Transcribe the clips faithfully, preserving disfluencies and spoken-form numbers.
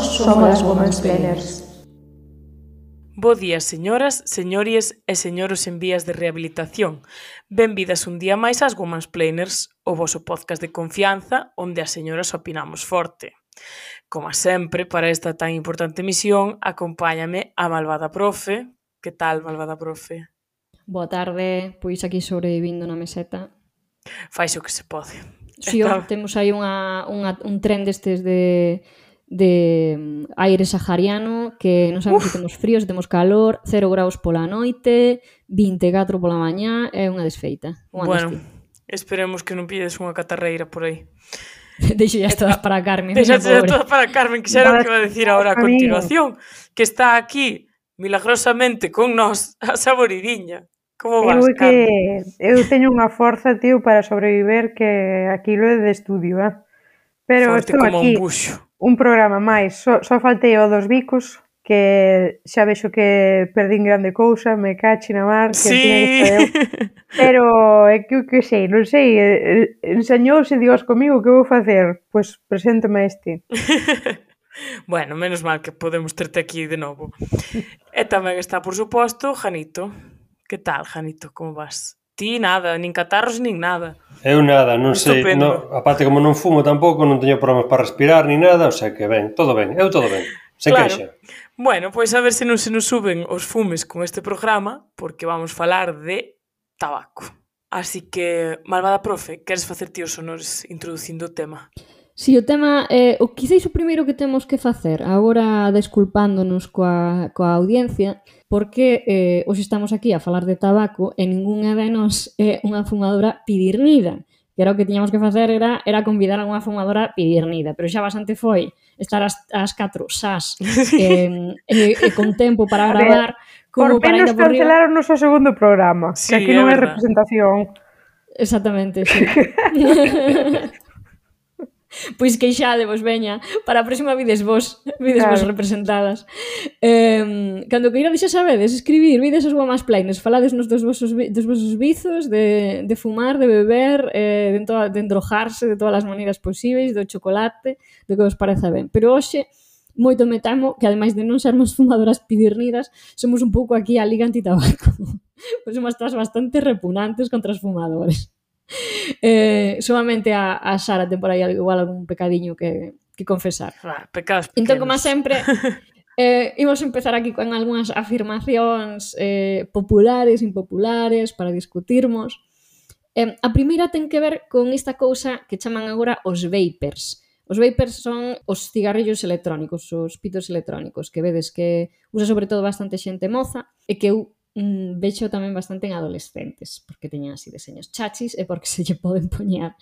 somos as Womansplainers. Bo día, señoras, señories e señoros en vías de rehabilitación. Benvidas un día máis ás Womansplainers, o voso podcast de confianza onde as señoras opinamos forte. Como sempre, para esta tan importante misión, acompáñame a malvada profe. Que tal, malvada profe? Boa tarde, pois aquí sobrevivindo na meseta. Fais o que se pode. Si, Está... temos aí unha, unha, un tren destes de... de aire sahariano que non sabemos Uf. se temos frío, se temos calor, cero graus pola noite, vinte e catro pola mañá, é unha desfeita. Unha bueno, desti. Esperemos que non pilles unha catarreira por aí. Deixo ya todas para Carmen. Deixo ya todas para Carmen, que xa era o que iba a decir agora a continuación, que está aquí milagrosamente con nós a saboridiña. Como vas, eu Carmen? Que, eu teño unha forza, tío, para sobreviver que aquilo é de estudio, eh? Pero Forte estou como aquí. un buxo. Un programa máis, só, só faltei o dos bicos, que xa vexo que perdín grande cousa, me cachi na mar, que sí. tiña que estar eu. Pero é que o que sei, non sei, enseñouse Dios comigo, que vou facer? Pois preséntome este. Bueno, menos mal que podemos terte aquí de novo. E tamén está, por suposto, Janito. Que tal, Janito, como vas? Ti nada, nin catarros, nin nada. Eu nada, non sei, no, aparte como non fumo tampouco, non teño problemas para respirar nin nada, o sea que ben, todo ben, eu todo ben, se claro. queixa. Bueno, pois a ver se non se nos suben os fumes con este programa, porque vamos falar de tabaco. Así que, malvada profe, queres facer ti os honores introducindo o tema? Si, o tema, eh, o quizáis o primeiro que temos que facer, agora desculpándonos coa, coa audiencia, porque eh, hoxe estamos aquí a falar de tabaco e ningunha de nós é unha fumadora pidirnida, que era o que tiñamos que facer, era, era convidar a unha fumadora pidirnida, pero xa bastante foi estar as, as catro sas eh, e, e con tempo para gravar, como por para ir por riba. Cancelaron o noso segundo programa, sí, que aquí non é representación. Exactamente, sí. Pois queixadevos, veña, para a próxima vides vos, vides claro. vos representadas. Eh, cando queirades xa sabedes, escribir, vides as Womansplainers, faladesnos dos vosos, dos vosos vizos, de, de fumar, de beber, eh, de, to, de endrojarse de todas as maneiras posíveis, do chocolate, do que vos pareza ben. Pero hoxe, moito me temo que ademais de non sermos fumadoras pidirnidas, somos un pouco aquí a Liga Antitabaco. Pois somos todas bastante repugnantes contra os fumadores. Eh, solamente a, a Sara ten por aí igual algún pecadiño que, que confesar. Ah, pecados pequenos. Entón, como sempre, eh, imos empezar aquí con algunhas afirmacións eh, populares, impopulares, para discutirmos. Eh, a primeira ten que ver con esta cousa que chaman agora os vapers. Os vapers son os cigarrillos electrónicos, os pitos electrónicos, que vedes que usa sobre todo bastante xente moza e que eu Mm, vexo tamén bastante en adolescentes, porque teñen así deseños chachis e porque se lle poden poñer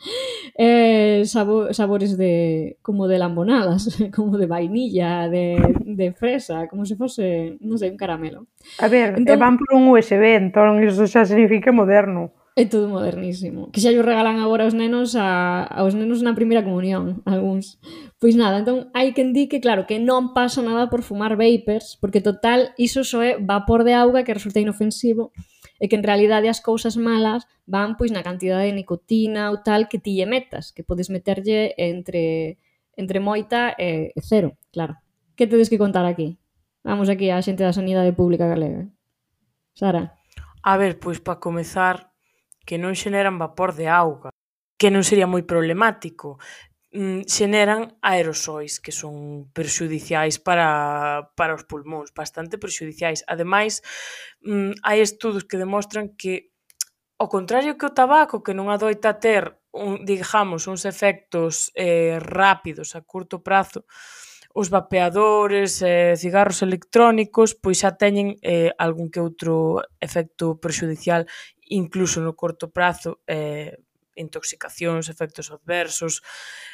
eh, sabo, sabores de como de lambonadas, como de vainilla, de, de fresa, como se fose, non sei, un caramelo. A ver, entón, van por un U S B, entón iso xa significa moderno. É todo modernísimo. Que xa yo regalan agora aos nenos a, aos nenos na primeira comunión, algúns. Pois nada, entón hai quen di que claro, que non pasa nada por fumar vapers, porque total, iso só é vapor de auga que resulta inofensivo e que en realidade as cousas malas van pois na cantidade de nicotina ou tal que ti lle metas, que podes meterlle entre, entre moita e, e cero, claro. Que tedes que contar aquí? Vamos aquí á xente da Sanidade Pública Galega. Sara? A ver, pois para comezar, que non xeneran vapor de auga, que non sería moi problemático. Mm, xeneran aerosois, que son perxudiciais para, para os pulmóns, bastante perxudiciais. Ademais, mm, hai estudos que demostran que, ao contrario que o tabaco, que non adoita ter, un, digamos, uns efectos eh, rápidos a curto prazo, os vapeadores e eh, cigarros electrónicos pois xa teñen eh, algún que outro efecto perxudicial incluso no corto prazo, eh, intoxicacións, efectos adversos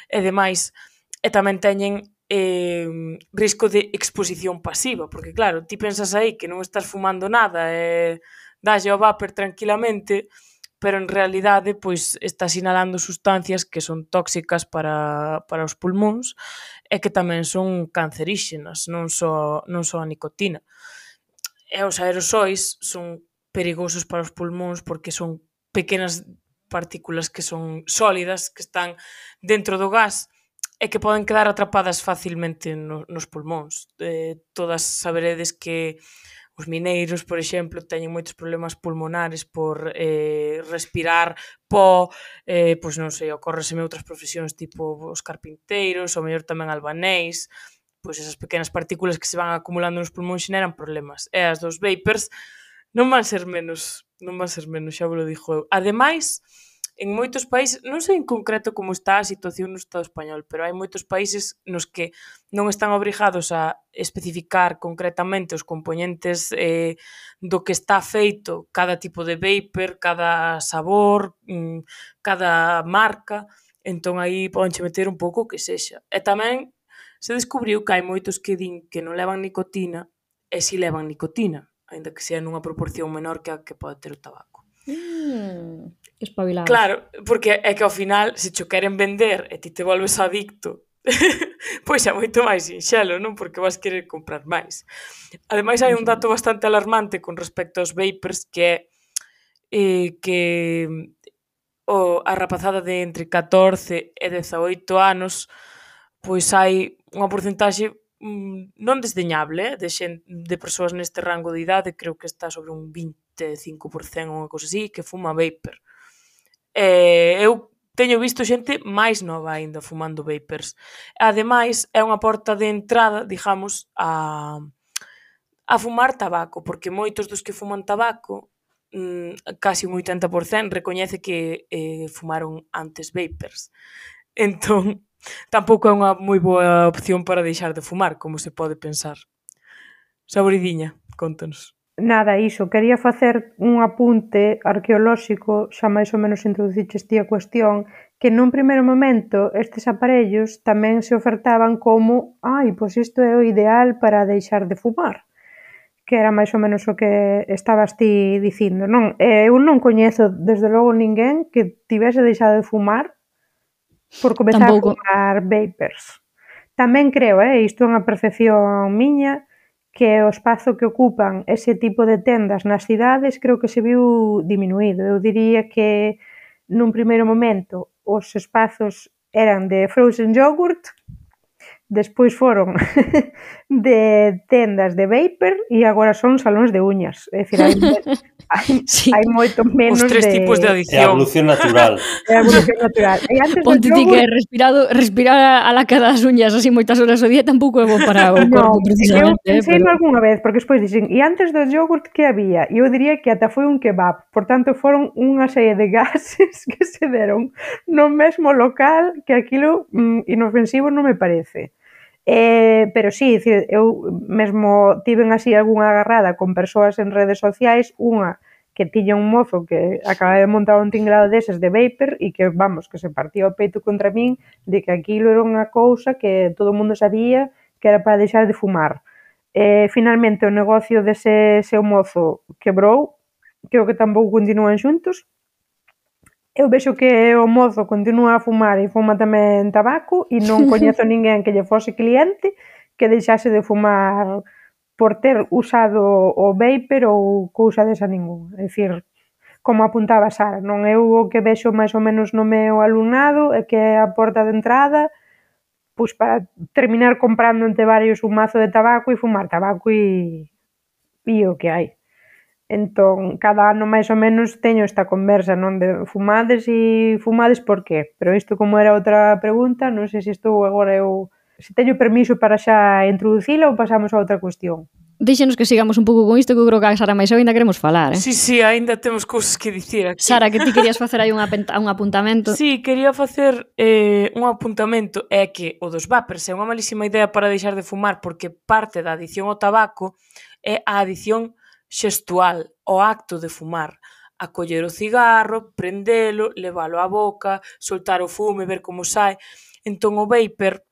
e demais, e tamén teñen eh, risco de exposición pasiva, porque claro, ti pensas aí que non estás fumando nada e dalle ao vapor tranquilamente, pero en realidade pois estás inhalando sustancias que son tóxicas para, para os pulmóns e que tamén son canceríxenas, non só, non só a nicotina. E os aerosois son perigosos para os pulmóns porque son pequenas partículas que son sólidas, que están dentro do gas e que poden quedar atrapadas facilmente no, nos pulmóns. Eh, todas saberedes que os mineiros, por exemplo, teñen moitos problemas pulmonares por eh, respirar pó, eh, pois non sei, ocórreseme outras profesións tipo os carpinteiros, ou mellor tamén albanéis, pois esas pequenas partículas que se van acumulando nos pulmóns xeneran problemas. E as dos vapers non van ser menos, non van ser menos, xa vos lo dixo eu. Ademais, en moitos países, non sei en concreto como está a situación no Estado español, pero hai moitos países nos que non están obrigados a especificar concretamente os componentes eh, do que está feito cada tipo de vapor, cada sabor, mm, cada marca, entón aí podenche meter un pouco o que sexa. E tamén se descubriu que hai moitos que din que non levan nicotina e si levan nicotina, aínda que sea nunha proporción menor que a que pode ter o tabaco. Mm, espabilados. Claro, porque é que ao final, se cho queren vender e ti te volves adicto, pois é moito máis sinxelo, non? Porque vas querer comprar máis. Ademais, hai un dato bastante alarmante con respecto aos vapers, que é eh, que o, a rapazada de entre catorce e dezaoito anos, pois hai unha porcentaxe mm, non desdeñable de, xen, de persoas neste rango de idade, creo que está sobre un vinte e cinco por cento ou unha cousa así, que fuma vapor. E eu teño visto xente máis nova aínda fumando vapers. Ademais, é unha porta de entrada, digamos, a, a fumar tabaco, porque moitos dos que fuman tabaco, mmm, casi un oitenta por cento, recoñece que eh, fumaron antes vapers. Entón, tampouco é unha moi boa opción para deixar de fumar, como se pode pensar. Saboridiña, contanos. Nada, iso, quería facer un apunte arqueolóxico, xa máis ou menos introduciches ti a cuestión, que nun primeiro momento estes aparellos tamén se ofertaban como ai, pois isto é o ideal para deixar de fumar, que era máis ou menos o que estabas ti dicindo, non? Eu non coñezo, desde logo, ninguén que tivese deixado de fumar por comezar Tampouco. a fumar vapers. Tamén creo, eh, isto é unha percepción miña, que o espazo que ocupan ese tipo de tendas nas cidades creo que se viu diminuído. Eu diría que nun primeiro momento os espazos eran de frozen yogurt, despois foron de tendas de vapor e agora son salóns de uñas. É dicir, hai, hai, sí. hai moito menos os tres de... tipos de adicción. É a evolución natural. É a evolución natural. E antes Ponte ti yogurt... que respirado, respirar a la cara das uñas así moitas horas ao día tampouco é bo para o corpo, no, precisamente. Eu pensei pero... algunha vez, porque despois dixen, e antes do yogurt que había? E eu diría que ata foi un kebab. Por tanto, foron unha serie de gases que se deron no mesmo local que aquilo mm, inofensivo non me parece. Eh, pero sí, dicir, eu mesmo tiven así algunha agarrada con persoas en redes sociais, unha que tiña un mozo que acaba de montar un tinglado deses de vapor e que, vamos, que se partía o peito contra min de que aquilo era unha cousa que todo o mundo sabía que era para deixar de fumar. Eh, finalmente o negocio dese seu mozo quebrou, creo que tampouco continúan xuntos. Eu vexo que o mozo continúa a fumar e fuma tamén tabaco e non coñezo ninguén que lle fose cliente que deixase de fumar por ter usado o vapor ou cousa desa ninguna. É dicir, como apuntaba Sara, non é o que vexo máis ou menos no meu alumnado é que é a porta de entrada pois para terminar comprando entre varios un mazo de tabaco e fumar tabaco e, e o que hai. Entón, cada ano máis ou menos teño esta conversa, non, de fumades e fumades por qué? Pero isto como era outra pregunta, non sei se estou agora eu, se teño permiso para xa introducila ou pasamos a outra cuestión. Deixanos que sigamos un pouco con isto, que eu creo que a Sara máis eu ainda queremos falar, eh? Sí, sí, ainda temos cousas que dicir aquí. Sara, que ti querías facer aí un, un apuntamento. Sí, quería facer eh, un apuntamento, é que o dos vapers é unha malísima idea para deixar de fumar porque parte da adición ao tabaco é a adición xestual, o acto de fumar, a coller o cigarro, prendelo, levalo á boca, soltar o fume, ver como sai. Entón o vapor,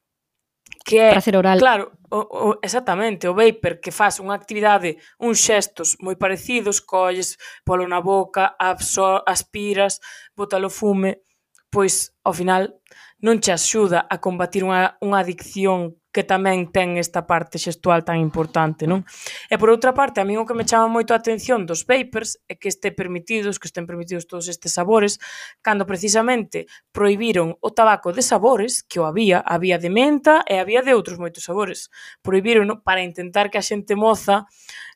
que é, prazer oral. Claro, o, o, exactamente, o vapor que faz unha actividade, uns xestos moi parecidos, colles polo na boca, absor, aspiras, bótalo fume, pois ao final non che axuda a combatir unha, unha adicción que tamén ten esta parte xestual tan importante, non? E por outra parte, a mí o que me chama moito a atención dos vapers é que este permitidos, que estén permitidos todos estes sabores, cando precisamente prohibiron o tabaco de sabores, que o había, había de menta e había de outros moitos sabores. Prohibiron para intentar que a xente moza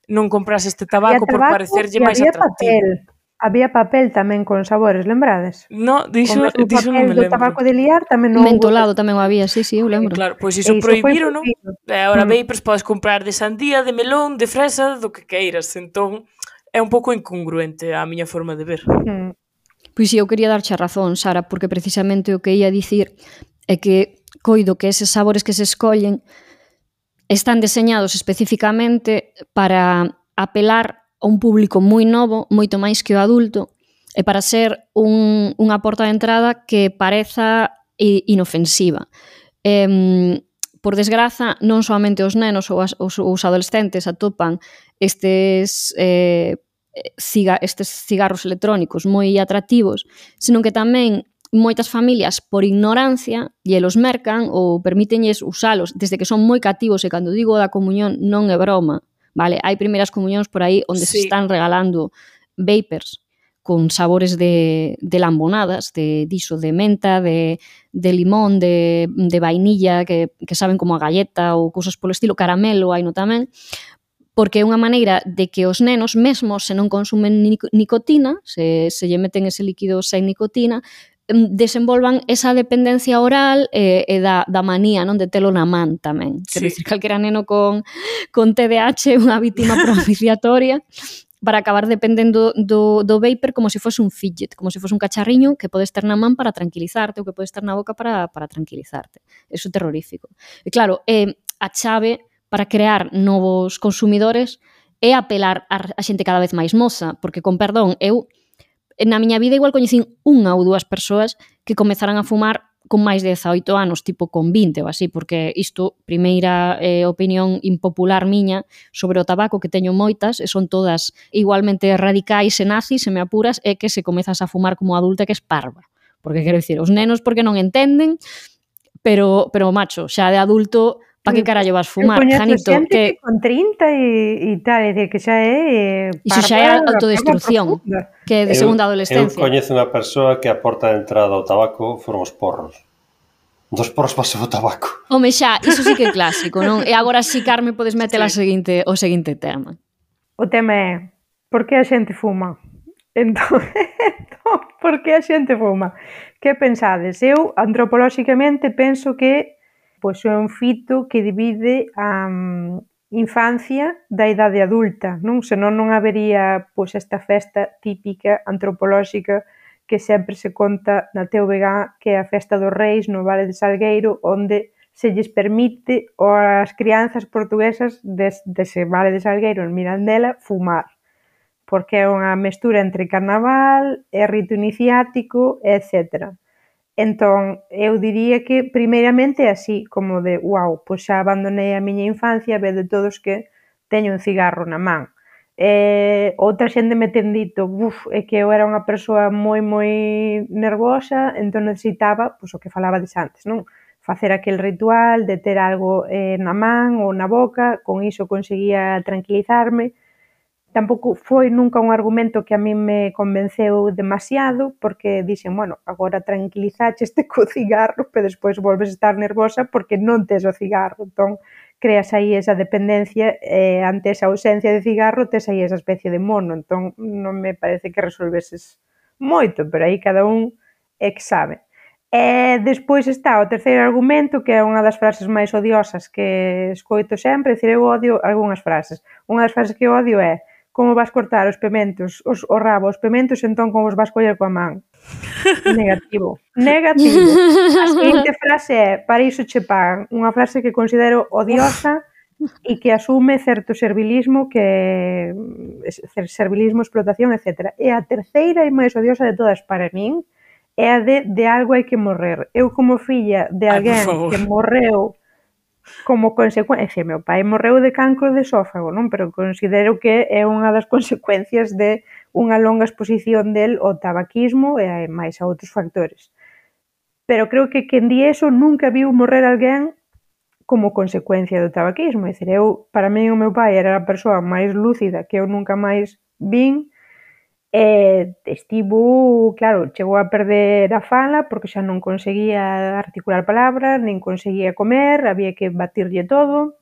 non comprase este tabaco, tabaco por parecerlle máis atractivo. Papel. Había papel tamén con sabores, lembrades? No, dixo, dixo non me lembro. O tabaco de liar tamén non... Mentolado tamén o había, sí, sí, eu lembro. Claro, pois iso prohibiron, non? E agora mm. vapers podes comprar de sandía, de melón, de fresa, do que queiras. Entón, é un pouco incongruente a miña forma de ver. Mm. Pois si, eu quería darche a razón, Sara, porque precisamente o que ia dicir é que coido que eses sabores que se escollen están deseñados especificamente para apelar a un público moi novo, moito máis que o adulto, e para ser un, unha porta de entrada que pareza inofensiva. Eh, por desgraza, non soamente os nenos ou as, os, os adolescentes atopan estes, eh, ciga, estes cigarros electrónicos moi atractivos, senón que tamén moitas familias, por ignorancia, lle los mercan ou permítenlles usalos desde que son moi cativos, e cando digo da comunión non é broma. Vale, hai primeiras comunións por aí onde sí. se están regalando vapers con sabores de, de lambonadas, de diso, de menta, de, de limón, de, de vainilla, que, que saben como a galleta ou cousas polo estilo, caramelo, hai no tamén, porque é unha maneira de que os nenos, mesmo se non consumen nicotina, se, se lle meten ese líquido sen nicotina, desenvolvan esa dependencia oral e, e da, da manía, non, de telo na man tamén. Sí. Quero dicir, calquera neno con, con T D A H é unha vítima propiciatoria para acabar dependendo do, do vapor como se fose un fidget, como se fose un cacharriño que podes ter na man para tranquilizarte ou que podes ter na boca para, para tranquilizarte. Eso é terrorífico. E claro, é a chave para crear novos consumidores é apelar a, a xente cada vez máis moza, porque, con perdón, eu na miña vida igual coñecín unha ou dúas persoas que comezaran a fumar con máis de dezaoito anos, tipo con vinte ou así, porque isto, primeira eh, opinión impopular miña sobre o tabaco, que teño moitas, e son todas igualmente radicais e nazis, se me apuras, é que se comezas a fumar como adulta que es parva. Porque quero dicir, os nenos porque non entenden, pero, pero macho, xa de adulto... Pa que carallo vas fumar, Janito? Que, que con trinta e, e tal, é dicir, que xa é... Eh, Iso xa é autodestrucción, que é de eu, segunda adolescencia. Eu coñezo unha persoa que a porta de entrada ao tabaco foron os porros. Dos porros pase o tabaco. Home, xa, iso sí que é clásico, non? E agora si, Carme, podes meter sí. a seguinte, o seguinte tema. O tema é, por que a xente fuma? Entón, entón por que a xente fuma? Que pensades? Eu, antropolóxicamente, penso que pois é un fito que divide a um, infancia da idade adulta, non? Senón non habería pois esta festa típica antropolóxica que sempre se conta na T V G, que é a festa dos reis no Vale de Salgueiro, onde se lles permite ás crianzas portuguesas des, dese Vale de Salgueiro en Mirandela fumar, porque é unha mestura entre carnaval e rito iniciático, etcétera. Entón, eu diría que primeiramente é así, como de, uau, pois xa abandonei a miña infancia, ve de todos que teño un cigarro na man. E, outra xente me ten dito, uf, é que eu era unha persoa moi, moi nervosa, entón necesitaba, pois o que falabades antes, non? Facer aquel ritual de ter algo eh, na man ou na boca, con iso conseguía tranquilizarme. Tampouco foi nunca un argumento que a mí me convenceu demasiado, porque dixen, bueno, agora tranquilizaxeste co cigarro, pero despois volves a estar nervosa porque non tes o cigarro. Entón, creas aí esa dependencia e ante esa ausencia de cigarro tes aí esa especie de mono. Entón, non me parece que resolveses moito, pero aí cada un é que sabe. E despois está o terceiro argumento, que é unha das frases máis odiosas que escoito sempre, dicir, eu odio algunhas frases. Unha das frases que odio é: como vas cortar os pementos, os, o rabo, os pementos, entón como os vas coller coa man. Negativo. Negativo. A seguinte frase é, para iso che pagan. Unha frase que considero odiosa e que asume certo servilismo, que servilismo, explotación, etcétera. E a terceira e máis odiosa de todas para min é a de de algo hai que morrer. Eu como filla de alguén Ay, que morreu como consecuencia, meu pai morreu de cancro de esófago, non? Pero considero que é unha das consecuencias de unha longa exposición del ao tabaquismo e máis a outros factores. Pero creo que quen di eso nunca viu morrer alguén como consecuencia do tabaquismo. É dicir, eu, para mí, o meu pai era a persoa máis lúcida que eu nunca máis vin, e estivo, claro, chegou a perder a fala porque xa non conseguía articular palabras, nin conseguía comer, había que batirlle todo,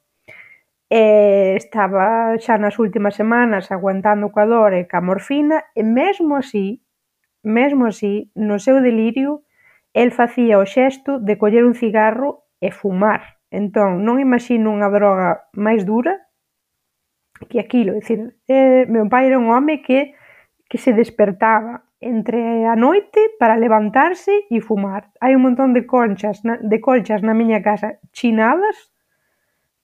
e estaba xa nas últimas semanas aguantando coa dor e ca morfina, e mesmo así, mesmo así, no seu delirio, el facía o xesto de coller un cigarro e fumar. Entón, non imagino unha droga máis dura que aquilo. É dicir, eh, meu pai era un home que, que se despertaba entre a noite para levantarse e fumar. Hai un montón de conchas, na, de colchas na miña casa chinadas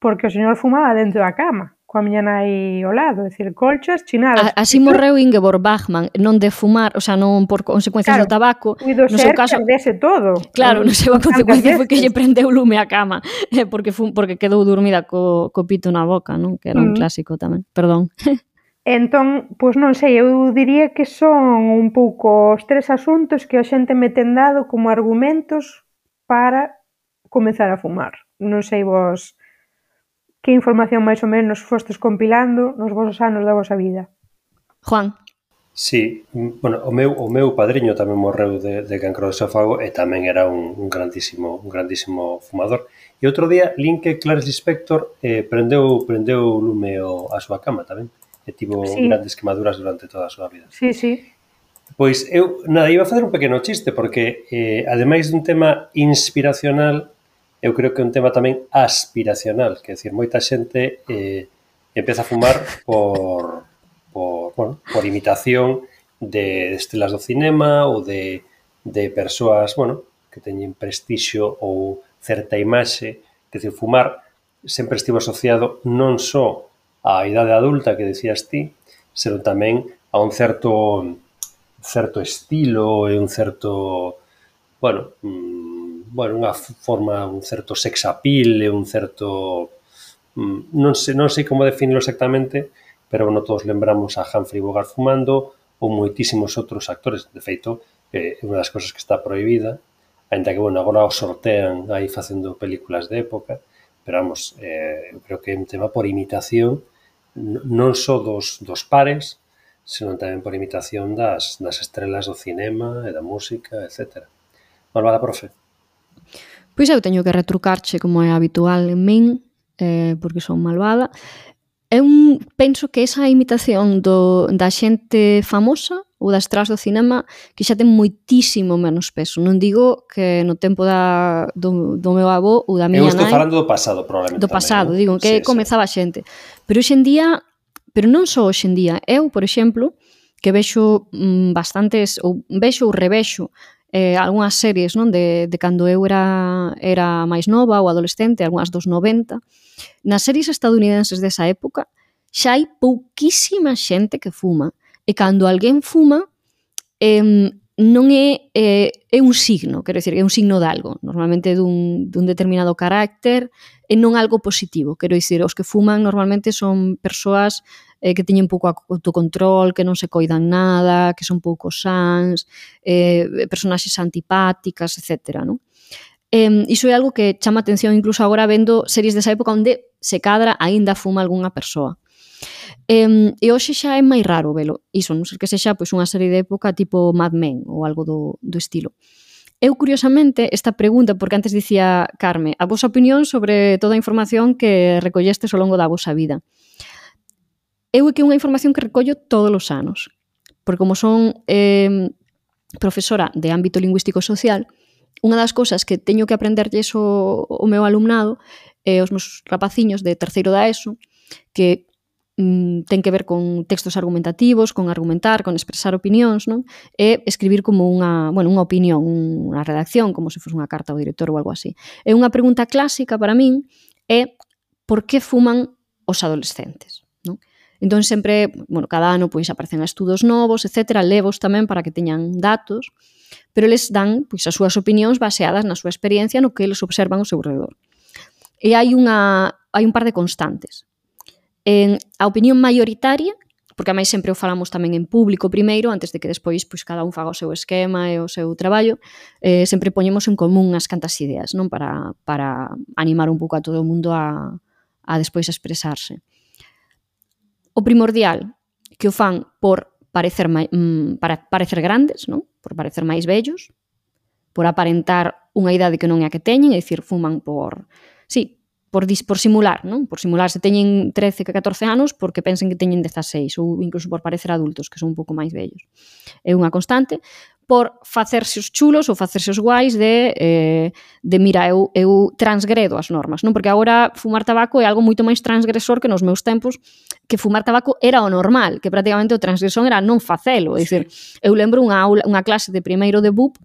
porque o señor fumaba dentro da cama, coa miña nai ao lado, é dicir, colchas chinadas. A, así morreu Ingeborg Bachmann, non de fumar, o sea, non por consecuencias claro, do tabaco. No seu caso, perdese todo. Claro, no seu a consecuencia foi que lle prendeu lume á cama, porque fun, porque quedou dormida co, co pito na boca, non? Que era un mm. clásico tamén, perdón. Entón, pois non sei, eu diría que son un pouco os tres asuntos que a xente me ten dado como argumentos para comezar a fumar. Non sei vos que información máis ou menos fostes compilando nos vosos anos da vosa vida. Juan. Sí, bueno, o meu, o meu padriño tamén morreu de, de cancro de esófago e tamén era un, un grandísimo un grandísimo fumador. E outro día, lin que Clarice Lispector eh, prendeu, prendeu lume o, a súa cama tamén. E tivo sí. grandes quemaduras durante toda a súa vida. Sí, sí. Pois eu, nada, iba a facer un pequeno chiste porque, eh, ademais dun tema inspiracional, eu creo que é un tema tamén aspiracional, que é dicir, moita xente eh, empeza a fumar por, por, bueno, por imitación de estrelas do cinema ou de, de persoas, bueno, que teñen prestixio ou certa imaxe, que é dicir, fumar sempre estivo asociado non só á idade adulta que decías ti, senón tamén a un certo certo estilo e un certo, bueno, mmm, bueno, unha forma, un certo sex appeal e un certo, mmm, non sei, non sei como definirlo exactamente, pero bueno, todos lembramos a Humphrey Bogart fumando ou moitísimos outros actores. De feito, é eh, unha das cosas que está prohibida, ainda que, bueno, agora o sortean aí facendo películas de época, pero vamos, eh, eu creo que é un tema por imitación, non só dos, dos pares, senón tamén por imitación das, das estrelas do cinema e da música, etcétera. Malvada, profe. Pois eu teño que retrucarche como é habitual en min, eh, porque son malvada. Eu penso que esa imitación do, da xente famosa ou das estrelas do cinema que xa ten moitísimo menos peso. Non digo que no tempo da, do, do meu avó ou da miña nai... Eu estou falando do pasado, probablemente. Do pasado, tamén, digo, que sí, comezaba sí. a xente. Pero hoxe en día, pero non só hoxe en día, eu, por exemplo, que vexo mm, bastantes, ou vexo ou revexo eh, algunhas series, non, de, de cando eu era, era máis nova ou adolescente, algunhas dos noventa, nas series estadounidenses desa época xa hai pouquísima xente que fuma, e cando alguén fuma eh, non é, eh, é un signo, quero dicir, é un signo de algo, normalmente dun, dun determinado carácter, e non algo positivo, quero dicir, os que fuman normalmente son persoas eh, que teñen pouco autocontrol, que non se coidan nada, que son pouco sans, eh, personaxes antipáticas, etcétera, non? Eh, iso é algo que chama atención incluso agora vendo series desa época onde se cadra aínda fuma algunha persoa. Eh, e hoxe xa é máis raro velo, iso, non ser que sexa pois, unha serie de época tipo Mad Men ou algo do, do estilo. Eu, curiosamente, esta pregunta, porque antes dicía Carme, a vosa opinión sobre toda a información que recollestes ao longo da vosa vida. Eu é que é unha información que recollo todos os anos, porque como son eh, profesora de ámbito lingüístico social, unha das cousas que teño que aprenderlles o, o meu alumnado, eh, os meus rapaciños de terceiro da ESO, que mm, ten que ver con textos argumentativos, con argumentar, con expresar opinións, non? E escribir como unha, bueno, unha opinión, unha redacción, como se fose unha carta ao director ou algo así. E unha pregunta clásica para min é por que fuman os adolescentes, non? Entón sempre, bueno, cada ano pois aparecen estudos novos, etcétera, levos tamén para que teñan datos, pero eles dan pois as súas opinións baseadas na súa experiencia no que eles observan ao seu redor. E hai unha hai un par de constantes. En a opinión maioritaria porque a máis sempre o falamos tamén en público primeiro, antes de que despois pois, cada un faga o seu esquema e o seu traballo, eh, sempre poñemos en común as cantas ideas, non? Para, para animar un pouco a todo o mundo a, a despois expresarse. O primordial, que o fan por parecer, mai, mm, para parecer grandes, non? Por parecer máis vellos, por aparentar unha idade que non é a que teñen, é dicir, fuman por... Sí, por, dis, por simular, non? Por simular se teñen trece, catorce anos porque pensen que teñen dezaseis, ou incluso por parecer adultos, que son un pouco máis vellos. É unha constante. Por facerse os chulos ou facerse os guais de, eh, de mira, eu, eu transgredo as normas, non? Porque agora fumar tabaco é algo moito máis transgresor que nos meus tempos, que fumar tabaco era o normal, que prácticamente o transgresor era non facelo. É dicir, eu lembro unha, aula, unha clase de primeiro de B U P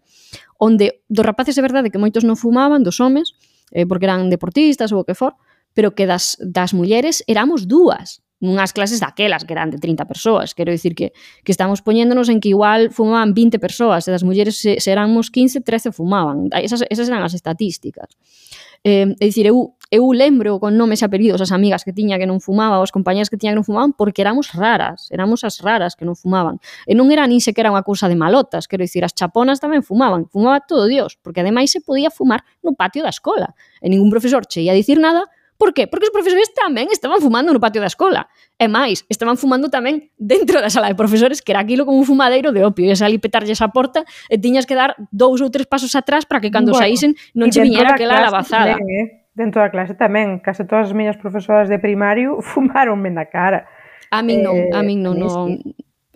onde dos rapaces é verdade que moitos non fumaban, dos homes, eh, porque eran deportistas ou o que for, pero que das, das mulleres éramos dúas, nunhas clases daquelas que eran de trinta persoas. Quero dicir que, que estamos poñéndonos en que igual fumaban vinte persoas, e das mulleres se, se éramos quince, trece fumaban. Esas, esas eran as estatísticas. Eh, é dicir, eu, eu lembro con nomes e apelidos as amigas que tiña que non fumaban, os compañeros que tiña que non fumaban, porque éramos raras, éramos as raras que non fumaban. E non era nin sequera unha cousa de malotas, quero dicir, as chaponas tamén fumaban, fumaba todo Dios, porque ademais se podía fumar no patio da escola, e ningún profesor che ia dicir nada. Por qué? Porque os profesores tamén estaban fumando no patio da escola. E máis, estaban fumando tamén dentro da sala de profesores, que era aquilo como un fumadeiro de opio. Ias ali petarlles a porta e tiñas que dar dous ou tres pasos atrás para que cando bueno, saísen non che viñera aquela lavazada. Tamén, eh? Dentro da clase tamén. Case todas as miñas profesoras de primario fumaronme na cara. A min non, eh, a min non. non.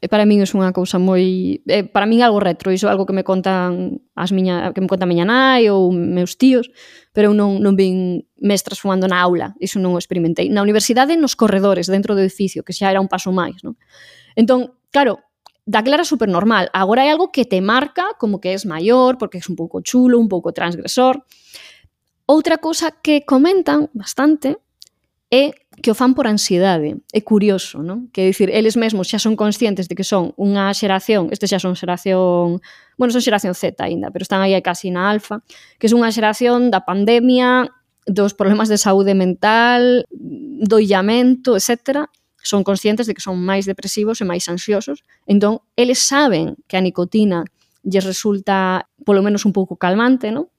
Para min é unha cousa moi... Eh, para min é algo retro, iso é algo que me contan as miña, que me conta a miña nai ou meus tíos, pero eu non, non vin mestras fumando na aula, iso non o experimentei. Na universidade, nos corredores, dentro do edificio, que xa era un paso máis, non? Entón, claro, daquela era super normal. Agora é algo que te marca como que és maior, porque é un pouco chulo, un pouco transgresor. Outra cousa que comentan bastante é que o fan por ansiedade. É curioso, non? Que é dicir, eles mesmos xa son conscientes de que son unha xeración, este xa son xeración, bueno, son xeración Z aínda, pero están aí casi na alfa, que son unha xeración da pandemia, dos problemas de saúde mental, do illamento, etcétera. Son conscientes de que son máis depresivos e máis ansiosos. Entón, eles saben que a nicotina lles resulta polo menos un pouco calmante, non?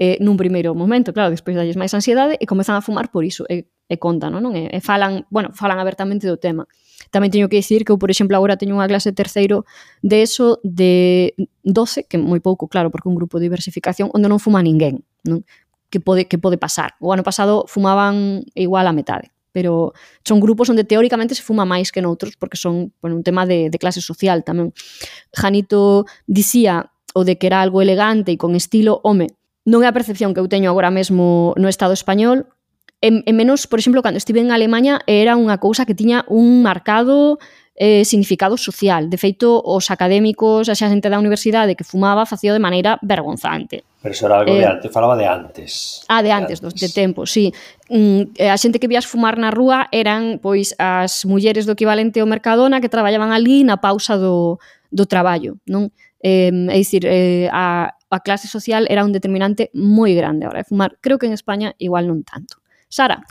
Eh, nun primeiro momento, claro, despois dalles máis ansiedade e comezan a fumar por iso, e, e contan, non? E, e falan, bueno, falan abertamente do tema. Tamén teño que dicir que eu, por exemplo, agora teño unha clase terceiro de eso de doce, que moi pouco, claro, porque un grupo de diversificación onde non fuma ninguén, non? Que pode, que pode pasar. O ano pasado fumaban igual a metade, pero son grupos onde teóricamente se fuma máis que noutros, porque son, bueno, un tema de, de clase social tamén. Janito dicía o de que era algo elegante e con estilo, home, non é a percepción que eu teño agora mesmo no Estado español, e, e menos, por exemplo, cando estive en Alemanha era unha cousa que tiña un marcado eh, significado social. De feito, os académicos, a xente da universidade que fumaba, facía de maneira vergonzante. Pero eso era algo eh, de antes, falaba de antes. Ah, de antes, de, antes. de tempo, sí. Mm, a xente que vías fumar na rúa eran pois as mulleres do equivalente ao Mercadona que traballaban ali na pausa do, do traballo, non? Eh, é dicir, eh, a, a clase social era un determinante moi grande a hora de fumar. Creo que en España igual non tanto. Sara?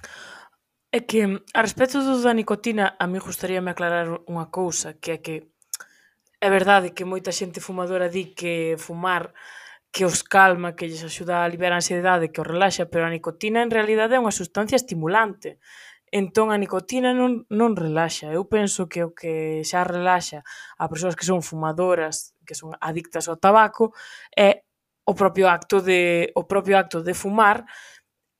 É que, a respecto do da nicotina, a mí gustaríame aclarar unha cousa, que é que é verdade que moita xente fumadora di que fumar que os calma, que lles axuda a liberar a ansiedade, que os relaxa, pero a nicotina en realidade é unha sustancia estimulante. Entón, a nicotina non, non relaxa. Eu penso que o que xa relaxa a persoas que son fumadoras, que son adictas ao tabaco, é o propio acto de, o propio acto de fumar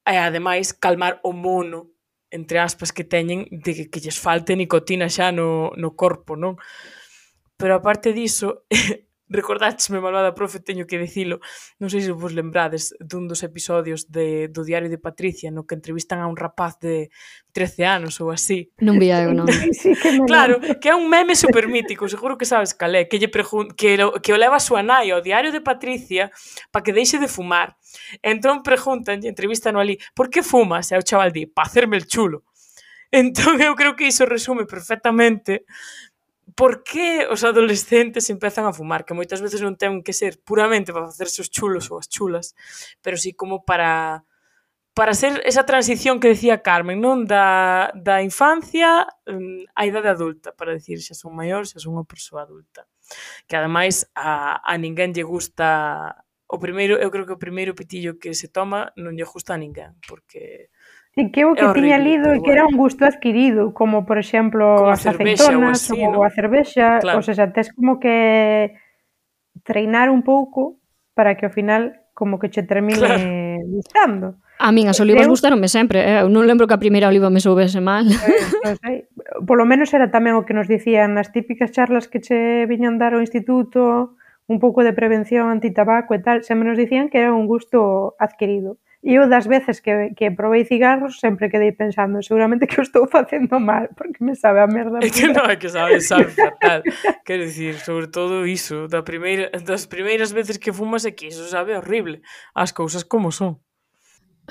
e, ademais, calmar o mono, entre aspas, que teñen de que, que lles falte nicotina xa no, no corpo, non? Pero, aparte diso, recordátesme, malvada profe, teño que dicilo, non sei se vos lembrades dun dos episodios de, do Diario de Patricia no que entrevistan a un rapaz de trece anos ou así. Non vía eu, non. Sí, que Claro, que é un meme super mítico, seguro que sabes cal é, que, lle pregun- que, lo, que o leva a súa nai ao Diario de Patricia para que deixe de fumar. Entón preguntan, entrevistan ali, por que fumas? E o chaval di, pa hacerme el chulo. Entón eu creo que iso resume perfectamente por que os adolescentes empezan a fumar, que moitas veces non ten que ser puramente para facerse os chulos ou as chulas, pero sí como para para ser esa transición que decía Carmen, non? Da, da infancia um, á idade adulta, para decir xa son maior, xa son unha persoa adulta. Que ademais a, a ninguén lle gusta o primeiro, eu creo que o primeiro pitillo que se toma non lle gusta a ninguén, porque E que o que é tiña horrible, lido pero é que era bueno. un gusto adquirido, como por exemplo Como a as cervexa ou aceitonas así, ou non? a cervexa, Claro. ou seja, tes como que treinar un pouco para que ao final como que che termine Claro. gustando. A min as olivas Eu- gustaronme sempre, eh? Eu non lembro que a primeira oliva me soubese mal. Pois, non sei, polo menos era tamén o que nos dicían nas típicas charlas que che viñan dar ao instituto, un pouco de prevención antitabaco e tal, sempre nos dicían que era un gusto adquirido. E eu das veces que, que probei cigarros sempre quedei pensando, seguramente que o estou facendo mal, porque me sabe a merda É que pura. non, é que sabe, sabe fatal. Quero dicir, sobre todo iso, da primeira, das primeiras veces que fumas é que iso sabe horrible. As cousas como son.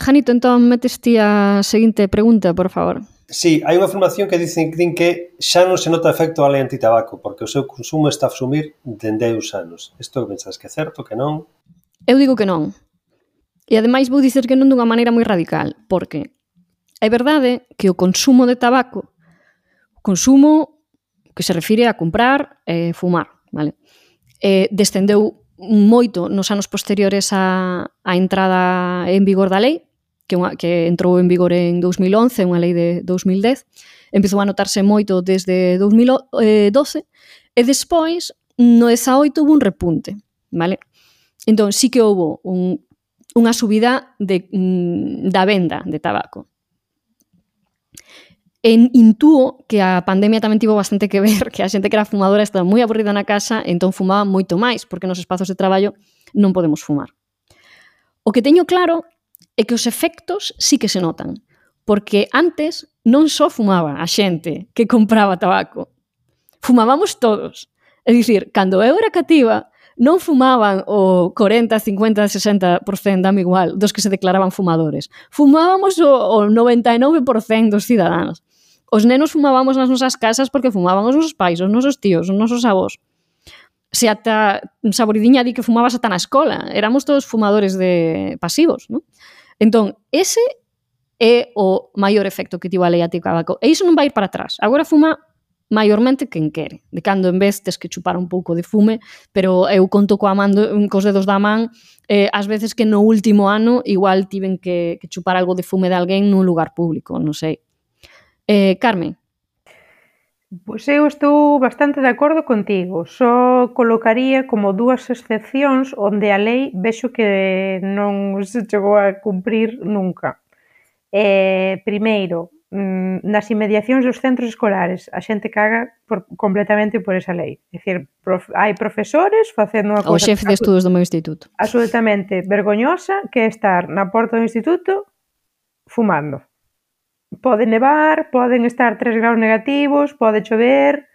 Janito, entón metes ti a seguinte pregunta, por favor. Sí, hai unha formación que dicen que din que xa non se nota efecto a lei antitabaco, porque o seu consumo está a sumir dende hai uns anos. Isto que pensas que é certo, que non? Eu digo que non. E ademais vou dicer que non dunha maneira moi radical, porque é verdade que o consumo de tabaco, o consumo que se refire a comprar e fumar, vale? Eh, descendeu moito nos anos posteriores á, á entrada en vigor da lei, que, unha, que entrou en vigor en dous mil once, unha lei de dous mil dez, empezou a notarse moito desde dous mil doce, e despois, no dezaoito, hubo un repunte, vale? Entón, sí que houve un, unha subida de, mm, da venda de tabaco. En intúo que a pandemia tamén tivo bastante que ver, que a xente que era fumadora estaba moi aburrida na casa, entón fumaba moito máis, porque nos espazos de traballo non podemos fumar. O que teño claro é que os efectos sí que se notan, porque antes non só fumaba a xente que compraba tabaco, fumábamos todos. É dicir, cando eu era cativa, non fumaban o cuarenta, cincuenta, sesenta por cento, dame igual, dos que se declaraban fumadores. Fumábamos o, o noventa e nove por cento dos cidadáns. Os nenos fumábamos nas nosas casas porque fumaban os nosos pais, os nosos tíos, os nosos avós. Se ata Saboridiña di que fumabas ata na escola. Éramos todos fumadores de pasivos, non? Entón, ese é o maior efecto que tivo a lei anti-tabaco. E iso non vai ir para atrás. Agora fuma maiormente quen quere, de cando en vez tes que chupar un pouco de fume, pero eu conto coa man do, cos dedos da man, eh, ás veces que no último ano igual tiven que, que chupar algo de fume de alguén nun lugar público, non sei. Eh, Carmen. Pois eu estou bastante de acordo contigo, só colocaría como dúas excepcións onde a lei vexo que non se chegou a cumprir nunca. Eh, primeiro, nas inmediacións dos centros escolares a xente caga por, completamente por esa lei. É dicir, prof, hai profesores facendo unha O cousa xefe de estudos do meu instituto. absolutamente vergoñosa, que é estar na porta do instituto fumando. Pode nevar, poden estar tres graus negativos, pode chover,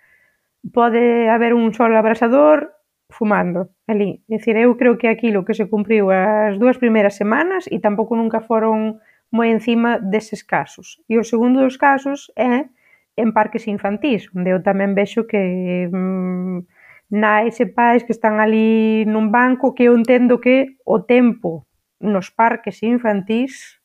pode haber un sol abrasador, fumando ali. É dicir, eu creo que aquilo que se cumpriu as dúas primeiras semanas e tampouco nunca foron moi encima deses casos. E o segundo dos casos é en parques infantís, onde eu tamén vexo que mmm, nais e pais que están ali nun banco, que eu entendo que o tempo nos parques infantís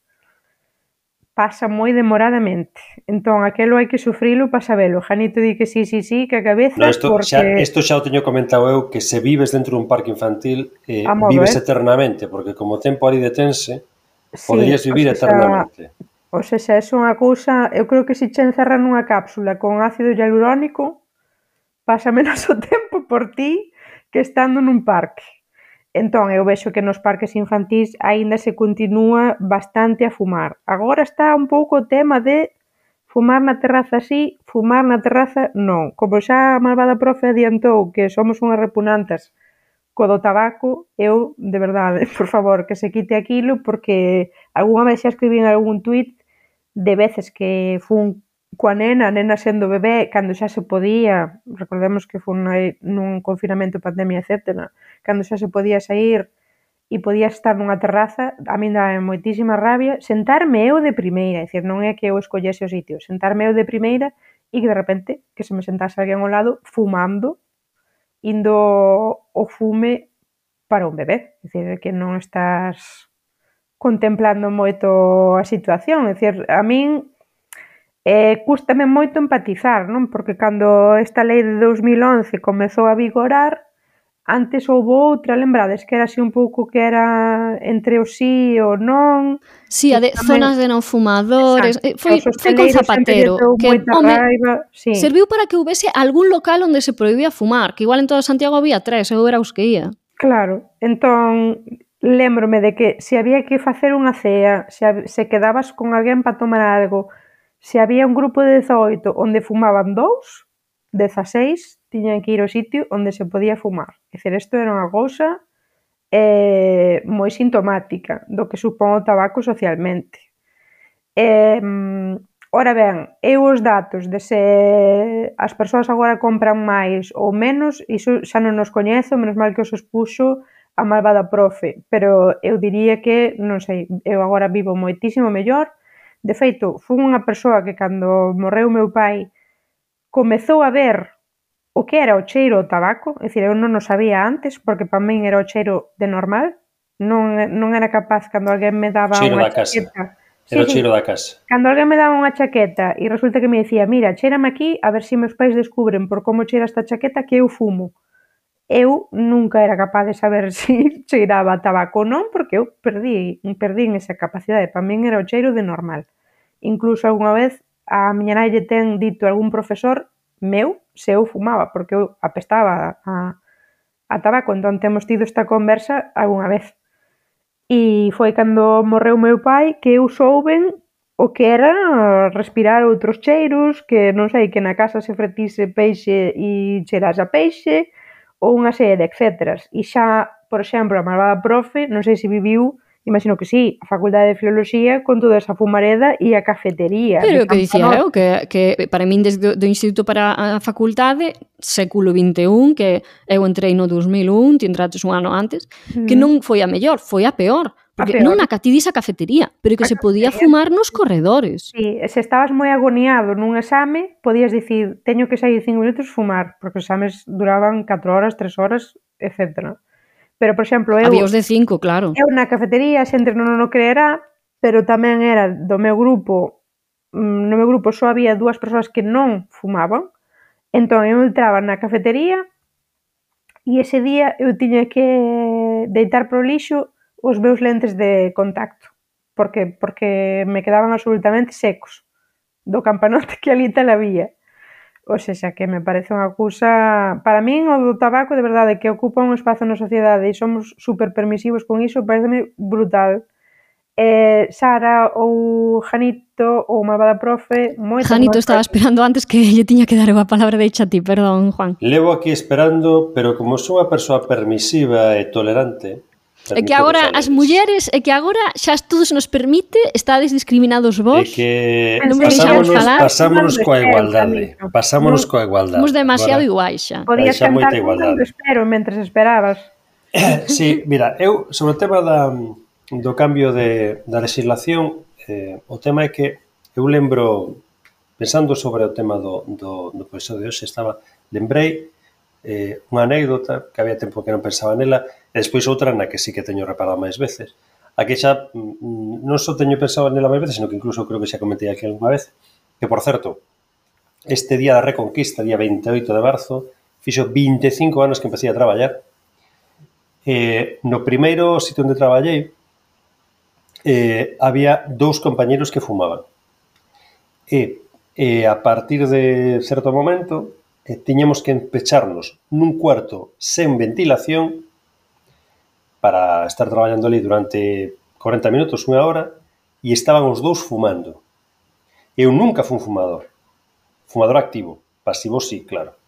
pasa moi demoradamente. Entón, aquelo hai que sufrilo para sabelo. Janito di que sí, sí, sí, que a cabeza, no, esto, porque... Xa, esto xa o teño comentado eu, que se vives dentro dun parque infantil, eh, modo, vives eh? eternamente, porque como o tempo ali detense, sí, poderías vivir o sea, eternamente. O sea, é unha cousa... Eu creo que se che encerran nunha cápsula con ácido hialurónico, pasa menos o tempo por ti que estando nun parque. Entón, eu vexo que nos parques infantís aínda se continúa bastante a fumar. Agora está un pouco o tema de fumar na terraza sí, fumar na terraza non. Como xa a malvada profe adiantou que somos unhas repugnantas co do tabaco, eu, de verdade, por favor, que se quite aquilo, porque algunha vez xa escribí en algún tuit de veces que fun coa nena, a nena sendo bebé, cando xa se podía, recordemos que fun nun confinamento, pandemia, etcétera, cando xa se podía sair e podía estar nunha terraza, a min dá moitísima rabia, sentarme eu de primeira, é dicir, non é que eu escollese o sitio, sentarme eu de primeira e que de repente que se me sentase alguén ao lado fumando, indo o fume para un bebé, é dicir, que non estás contemplando moito a situación. É dicir, a min eh, cústame moito empatizar, non? Porque cando esta lei de dos mil once comezou a vigorar, antes houve outra, lembrades, que era así un pouco que era entre o sí e o non. Sí, a de tamén... zonas de non fumadores. Exacto. Foi, foi con Zapatero. Que, home, raiva, sí. Serviu para que houvese algún local onde se prohibía fumar, que igual en todo Santiago había tres, eu era os que ia. Claro, entón lembrome de que se había que facer unha cea, se, se quedabas con alguén para tomar algo, se había un grupo de dezaoito onde fumaban dous, dezaseis tiñan que ir ao sitio onde se podía fumar. É dicir, isto era unha cousa eh, moi sintomática do que supón o tabaco socialmente. Eh, ora ben, eu os datos de se as persoas agora compran máis ou menos, iso xa non nos coñezo, menos mal que os expuxo a malvada profe, pero eu diría que, non sei, eu agora vivo moitísimo mellor. De feito, fui unha persoa que cando morreu meu pai comezou a ver o que era o cheiro ao tabaco, é dicir, eu non o sabía antes, porque para min era o cheiro de normal, non, non era capaz cando alguén me daba cheiro unha da chaqueta. Era o sí, cheiro sí. da casa. Cando alguén me daba unha chaqueta e resulta que me dicía, mira, cheirame aquí, a ver se meus pais descubren por como cheira esta chaqueta que eu fumo. Eu nunca era capaz de saber se cheiraba a tabaco ou non, porque eu perdí, perdí esa capacidade. Para min era o cheiro de normal. Incluso algunha vez a miña nai lle ten dito algún profesor meu se eu fumaba, porque eu apestaba a, a tabaco, entón temos tido esta conversa algunha vez. E foi cando morreu meu pai que eu souben o que era respirar outros cheiros, que non sei, que na casa se fretise peixe e cheirase a peixe, ou unha serie de etcéteras. E xa, por exemplo, a malvada profe, non sei se viviu, imagino que sí, a Facultade de Filoloxía con toda esa fumareda e a cafetería. Pero o que dicía eu, que, que para min desde do Instituto para a Facultade, século vinte e un, que eu entrei no dos mil un, ti entrates un ano antes, mm. que non foi a mellor, foi a peor. Porque non na catidisa cafetería, pero que a se podía fumar nos corredores. Sí, se estabas moi agoniado nun exame, podías dicir, teño que sair cinco minutos fumar, porque os exames duraban catro horas, tres horas, etcétera. Pero, por exemplo, eu... Había os de cinco, claro. Eu na cafetería, xente non o creerá, pero tamén era do meu grupo, no meu grupo só había dúas persoas que non fumaban, entón eu entraba na cafetería e ese día eu tiña que deitar pro lixo os meus lentes de contacto, porque porque me quedaban absolutamente secos do campanote que ali tal había. O sea, que me parece unha cousa... Para min, o do tabaco, de verdade, que ocupa un espazo na sociedade e somos super permisivos con iso, pareceme brutal. Eh, Sara ou Janito ou malvada profe... Janito estaba esperando antes que lle tiña que dar a palabra de a ti, perdón, Juan. Levo aquí esperando, pero como sou unha persoa permisiva e tolerante... É que agora as mulleres, é que agora xa todo se nos permite, estades discriminados vos. É que pasámonos, pasámonos coa igualdade. Pasámonos coa igualdade. Somos demasiado iguais xa. Podías cantar cantando espero mentres esperabas. Sí, mira, eu sobre o tema da, do cambio de, da legislación, eh, o tema é que eu lembro, pensando sobre o tema do, do, do episodio de hoxe, estaba, lembrei eh, unha anécdota que había tempo que non pensaba nela, e despois outra na que sí que teño reparado máis veces. Aquí xa non só teño pensado nela máis veces, sino que incluso creo que xa comentei aquí algunha vez, que, por certo, este día da Reconquista, día veintioito de marzo, fixo vinte e cinco anos que empecé a traballar. Eh, no primeiro sitio onde traballei eh, había dous compañeros que fumaban. E eh, a partir de certo momento eh, tiñamos que empecharnos nun cuarto sen ventilación para estar traballando ali durante corenta minutos, unha hora, e estaban os dous fumando. Eu nunca fui un fumador. Fumador activo. Pasivo sí, claro.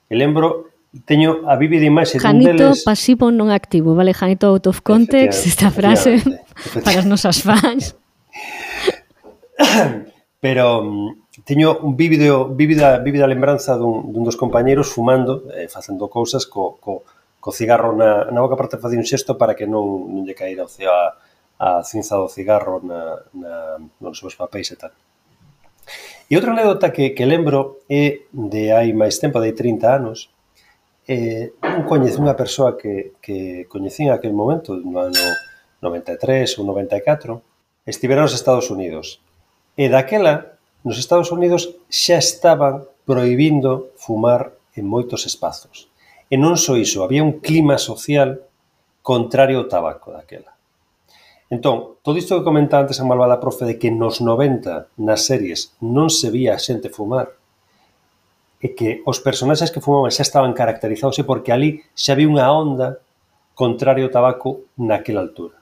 E lembro, teño a vívida imaxe dun deles... Janito pasivo non activo, vale? Janito out of context, esta frase para as nosas fans. Pero teño un vívido, vívida, vívida lembranza dun, dun dos compañeros fumando, eh, facendo cousas co... co co cigarro na, na boca, parte facía un xesto para que non, non lle caíra o a, a cinza do cigarro na, na, nos seus papéis e tal. E outra anécdota que, que lembro é de hai máis tempo, de trinta anos, eh, un coñece unha persoa que, que coñecín en aquel momento, no ano noventa e tres ou noventa e catro, estiveron nos Estados Unidos. E daquela, nos Estados Unidos xa estaban prohibindo fumar en moitos espazos. E non só iso, había un clima social contrario ao tabaco daquela. Entón, todo isto que comentaba antes a malvada profe de que nos noventa nas series non se vía a xente fumar e que os personaxes que fumaban xa estaban caracterizados e porque ali xa había unha onda contrario ao tabaco naquela altura.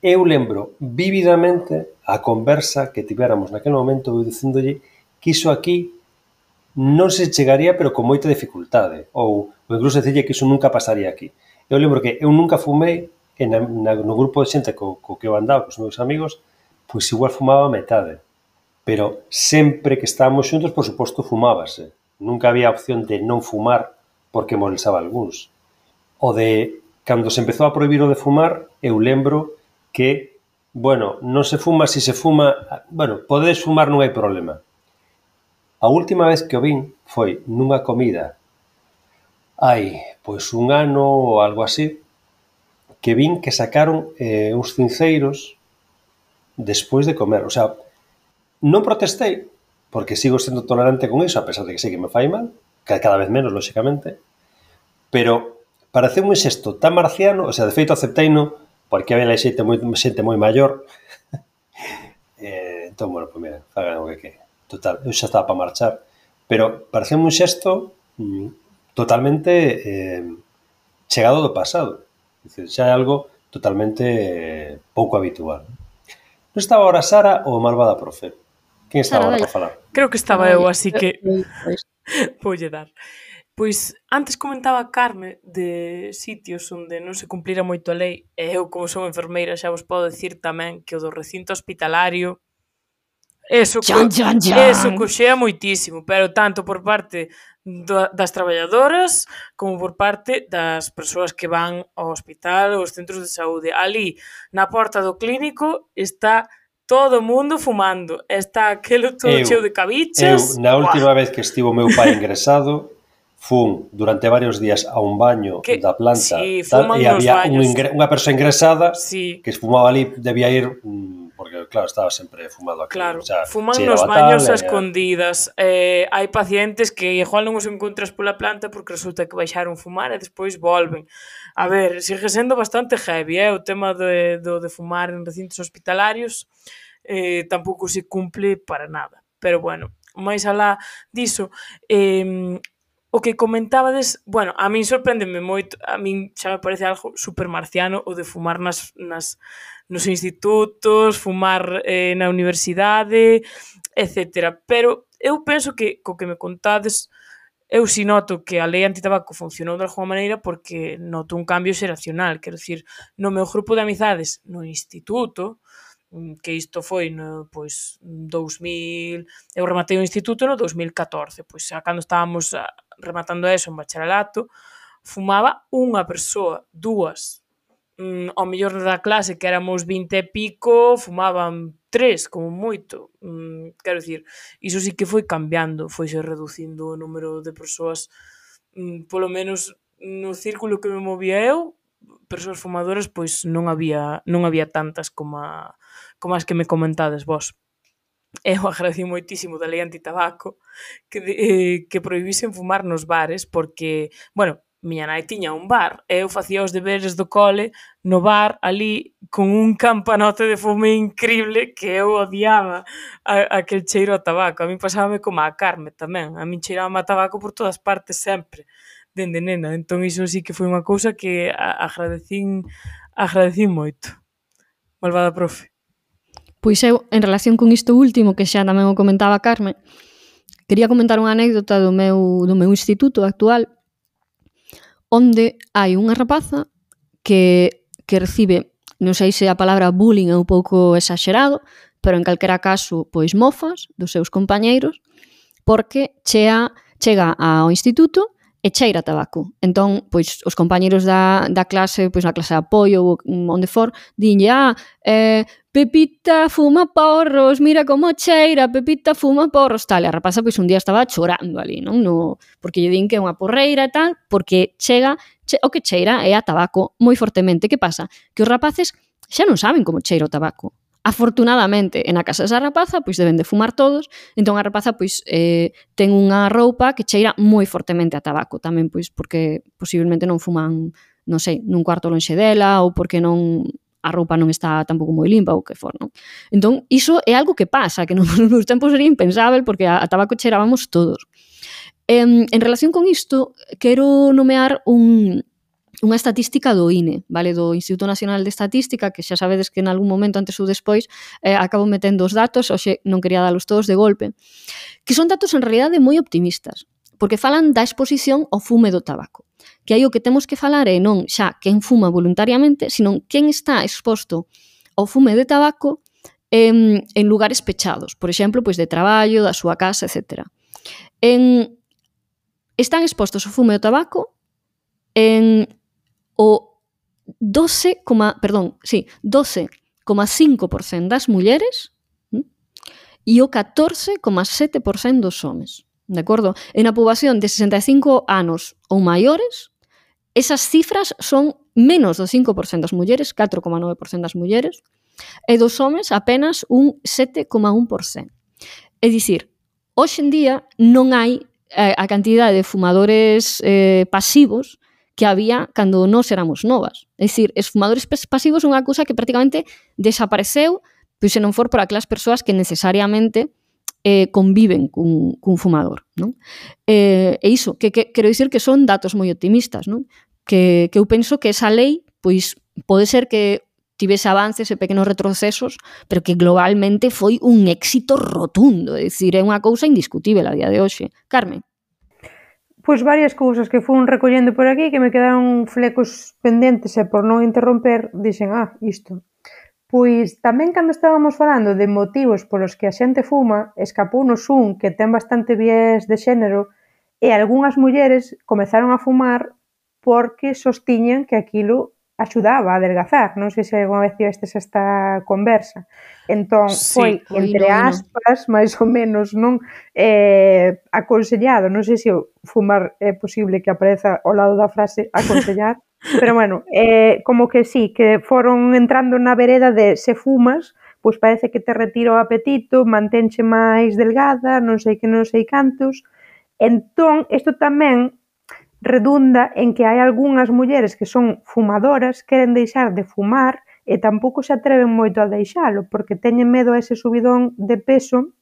Eu lembro vívidamente a conversa que tivéramos naquele momento eu dicíndolle que iso aquí non se chegaría pero con moita dificultade ou, ou incluso dicirlle que iso nunca pasaría aquí. Eu lembro que eu nunca fumei e na, na, no grupo de xente co, co que eu andaba, cos meus amigos, pois igual fumaba a metade. Pero sempre que estábamos xuntos, por suposto, fumábase. Nunca había opción de non fumar porque molestaba algúns. O de, cando se empezou a prohibir o de fumar, eu lembro que, bueno, non se fuma, se se fuma, bueno, podedes fumar, non hai problema. A última vez que o vin foi nunha comida hai, pois, un ano ou algo así, que vin que sacaron eh, uns cinceiros despois de comer. O sea, non protestei, porque sigo sendo tolerante con iso, a pesar de que sei que me fai mal, cada vez menos, lóxicamente, pero pareceu un xesto tan marciano, o sea, de feito acepteino, porque había xente moi, xente moi maior, eh, entón, bueno, pois mira, fagan o que que. Total, eu xa estaba para marchar, pero pareceu un xesto mm, totalmente eh, chegado do pasado. Dicir, xa é algo totalmente eh, pouco habitual. Non estaba ahora Sara ou malvada profe? Quen estaba ahora para falar? Creo que estaba eu, así que voulle dar. Pois antes comentaba Carme de sitios onde non se cumplira moito a lei e eu, como son enfermeira, xa vos podo dicir tamén que o do recinto hospitalario eso, Chan, chan, chan. eso coxea moitísimo, pero tanto por parte das traballadoras como por parte das persoas que van ao hospital ou aos centros de saúde. Ali, na porta do clínico, está todo o mundo fumando. Está aquelo todo eu, cheo de cabichas. Eu, na última vez que estivo o meu pai ingresado, fun durante varios días a un baño que, da planta sí, tal, e había un ingre, unha persoa ingresada sí. que fumaba ali, debía ir... porque, claro, estaba sempre fumado aquí. Claro, o sea, fuman nos baños a escondidas. Eh, hai pacientes que igual non os encontras pola planta porque resulta que baixaron fumar e despois volven. A ver, sigue sendo bastante heavy, eh, o tema de, do, de fumar en recintos hospitalarios eh, tampouco se cumple para nada. Pero, bueno, máis alá diso... Eh, o que comentabades, bueno, a min sorpréndeme moito, a min xa me parece algo super marciano o de fumar nas, nas, nos institutos, fumar eh, na universidade, etcétera. Pero eu penso que, co que me contades, eu si noto que a lei antitabaco funcionou de alguma maneira porque noto un cambio xeracional, quero dicir, no meu grupo de amizades no instituto, que isto foi no, pois, dous mil, eu rematei o instituto no dous mil catorce, pois xa cando estábamos rematando eso en bacharelato, fumaba unha persoa, dúas, mm, ao mellor da clase que éramos vinte e pico, fumaban tres, como moito, mm, quero dicir, iso sí que foi cambiando, foise reducindo o número de persoas, mm, polo menos no círculo que me movía eu, persoas fumadoras, pois non había non había tantas como a como as que me comentades vos. Eu agradecí moitísimo da lei antitabaco que, eh, que prohibisen fumar nos bares porque, bueno, miña nai tiña un bar e eu facía os deberes do cole no bar ali con un campanote de fume increíble que eu odiaba a, aquel cheiro a tabaco. A mí pasábame como a Carme tamén. A min cheiraba a tabaco por todas partes sempre, dende nena. Entón iso sí que foi unha cousa que agradecín, agradecín moito. Malvada profe. Pois eu, en relación con isto último, que xa tamén o comentaba Carme, quería comentar unha anécdota do meu, do meu instituto actual, onde hai unha rapaza que, que recibe, non sei se a palabra bullying é un pouco exagerado, pero en calquera caso, pois mofas dos seus compañeiros, porque chea, chega ao instituto e cheira tabaco. Entón, pois, os compañeiros da, da clase, pois na clase de apoio ou onde for, dinlle, ah, eh, Pepita fuma porros, mira como cheira, Pepita fuma porros, tal. E a rapaza, pois, un día estaba chorando ali, non? No, porque lle din que é unha porreira e tal, porque chega, che, o que cheira é a tabaco moi fortemente. Que pasa? Que os rapaces xa non saben como cheira o tabaco. Afortunadamente, en a casa desa rapaza, pois deben de fumar todos, entón a rapaza pois eh, ten unha roupa que cheira moi fortemente a tabaco, tamén pois porque posiblemente non fuman, non sei, nun cuarto lonxe dela ou porque non a roupa non está tampouco moi limpa ou que for, non? Entón, iso é algo que pasa, que nos meus tempos sería impensável porque a, a tabaco cheirábamos todos. En, en relación con isto, quero nomear un, unha estatística do I N E, vale, do Instituto Nacional de Estatística, que xa sabedes que en algún momento antes ou despois eh, acabo metendo os datos, hoxe non quería dalos todos de golpe, que son datos en realidade moi optimistas, porque falan da exposición ao fume do tabaco. Que aí o que temos que falar é non xa quen fuma voluntariamente, sino quen está exposto ao fume de tabaco en, en lugares pechados, por exemplo, pois de traballo, da súa casa, etcétera. En, están expostos ao fume do tabaco en o doce, perdón, sí, doce coma cinco por cento das mulleres ¿m? E o catorce coma sete por cento dos homes. De acordo? En a poboación de sesenta e cinco anos ou maiores, esas cifras son menos do cinco por cento das mulleres, catro coma nove por cento das mulleres, e dos homes apenas un sete coma un por cento. É dicir, hoxe en día non hai eh, a cantidade de fumadores eh, pasivos que había cando nós éramos novas. É dicir, os fumadores pasivos son unha cousa que prácticamente desapareceu, pois se non for por aquelas persoas que necesariamente eh, conviven cun, cun fumador, non? Eh, e iso, que, que quero dicir que son datos moi optimistas, non? Que, que eu penso que esa lei, pois, pode ser que tivese avances e pequenos retrocesos, pero que globalmente foi un éxito rotundo, é dicir, é unha cousa indiscutível a día de hoxe. Carmen? Pois varias cousas que fun recollendo por aquí que me quedaron flecos pendentes e por non interromper, dixen, ah, isto. Pois tamén cando estábamos falando de motivos polos que a xente fuma, escapounos un que ten bastante viés de xénero e algunhas mulleres comezaron a fumar porque sostiñan que aquilo axudaba a adelgazar. Non sei se alguna vez tivestes esta conversa. Entón, foi, sí, entre aspas, máis ou menos, non eh, aconsellado. Non sei se o fumar é posible que apareza ao lado da frase aconsellar, pero bueno, eh, como que sí, que foron entrando na vereda de se fumas, pois parece que te retira o apetito, mantenche máis delgada, non sei que non sei cantos. Entón, isto tamén redunda en que hai algunhas mulleres que son fumadoras, queren deixar de fumar e tampouco se atreven moito a deixalo, porque teñen medo a ese subidón de peso